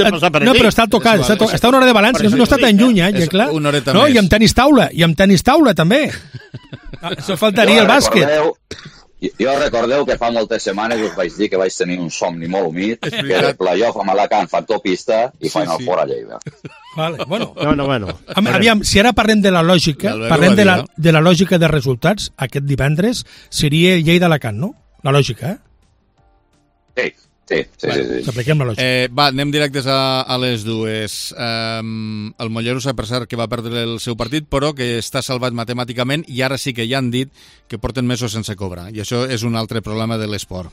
però està tocat, està a una hora de balanç, no està tan lluny, Yeclà. Una horeta més. I amb tenis taula, també. Això faltaria el bàsquet. Jo recordeu que fa moltes setmanes us vaig dir que vaig tenir un somni molt humit, que era playoff amb Alacant, factor pista i Final Four a Lleida. Vale, bueno. Bueno. Aviam, si ara parlem de la lògica, de la lògica de resultats, aquest divendres seria Lleida-Alacant, no? La lògica, Sí. S'apliquem la lògica. Anem directes a les dues. El Mollerussa, per cert, que va perdre el seu partit, però que està salvat matemàticament i ara sí que ja han dit que porten mesos sense cobrar. I això és un altre problema de l'esport.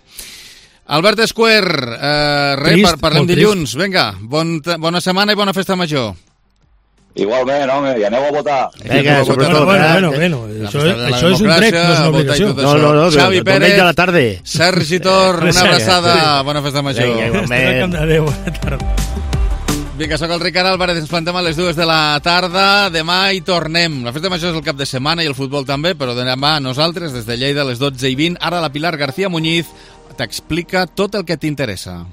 Albert Esquer, parlem dilluns. Vinga, bona setmana i bona festa major. Igualment, home, i aneu a votar. Vinga, sobretot. Bueno, això és un dret, no és una obligació. No, Xavi Pérez, de la tarda. Sergi Tor, una abraçada, bona festa major. Adéu, bona tarda. Vinga, soc el Ricard Álvarez, ens plantem a les 2 de la tarda, demà hi tornem. La festa major és el cap de setmana i el futbol també, però demà nosaltres, des de Lleida, a les 12:20, ara la Pilar García Muñiz t'explica tot el que t'interessa.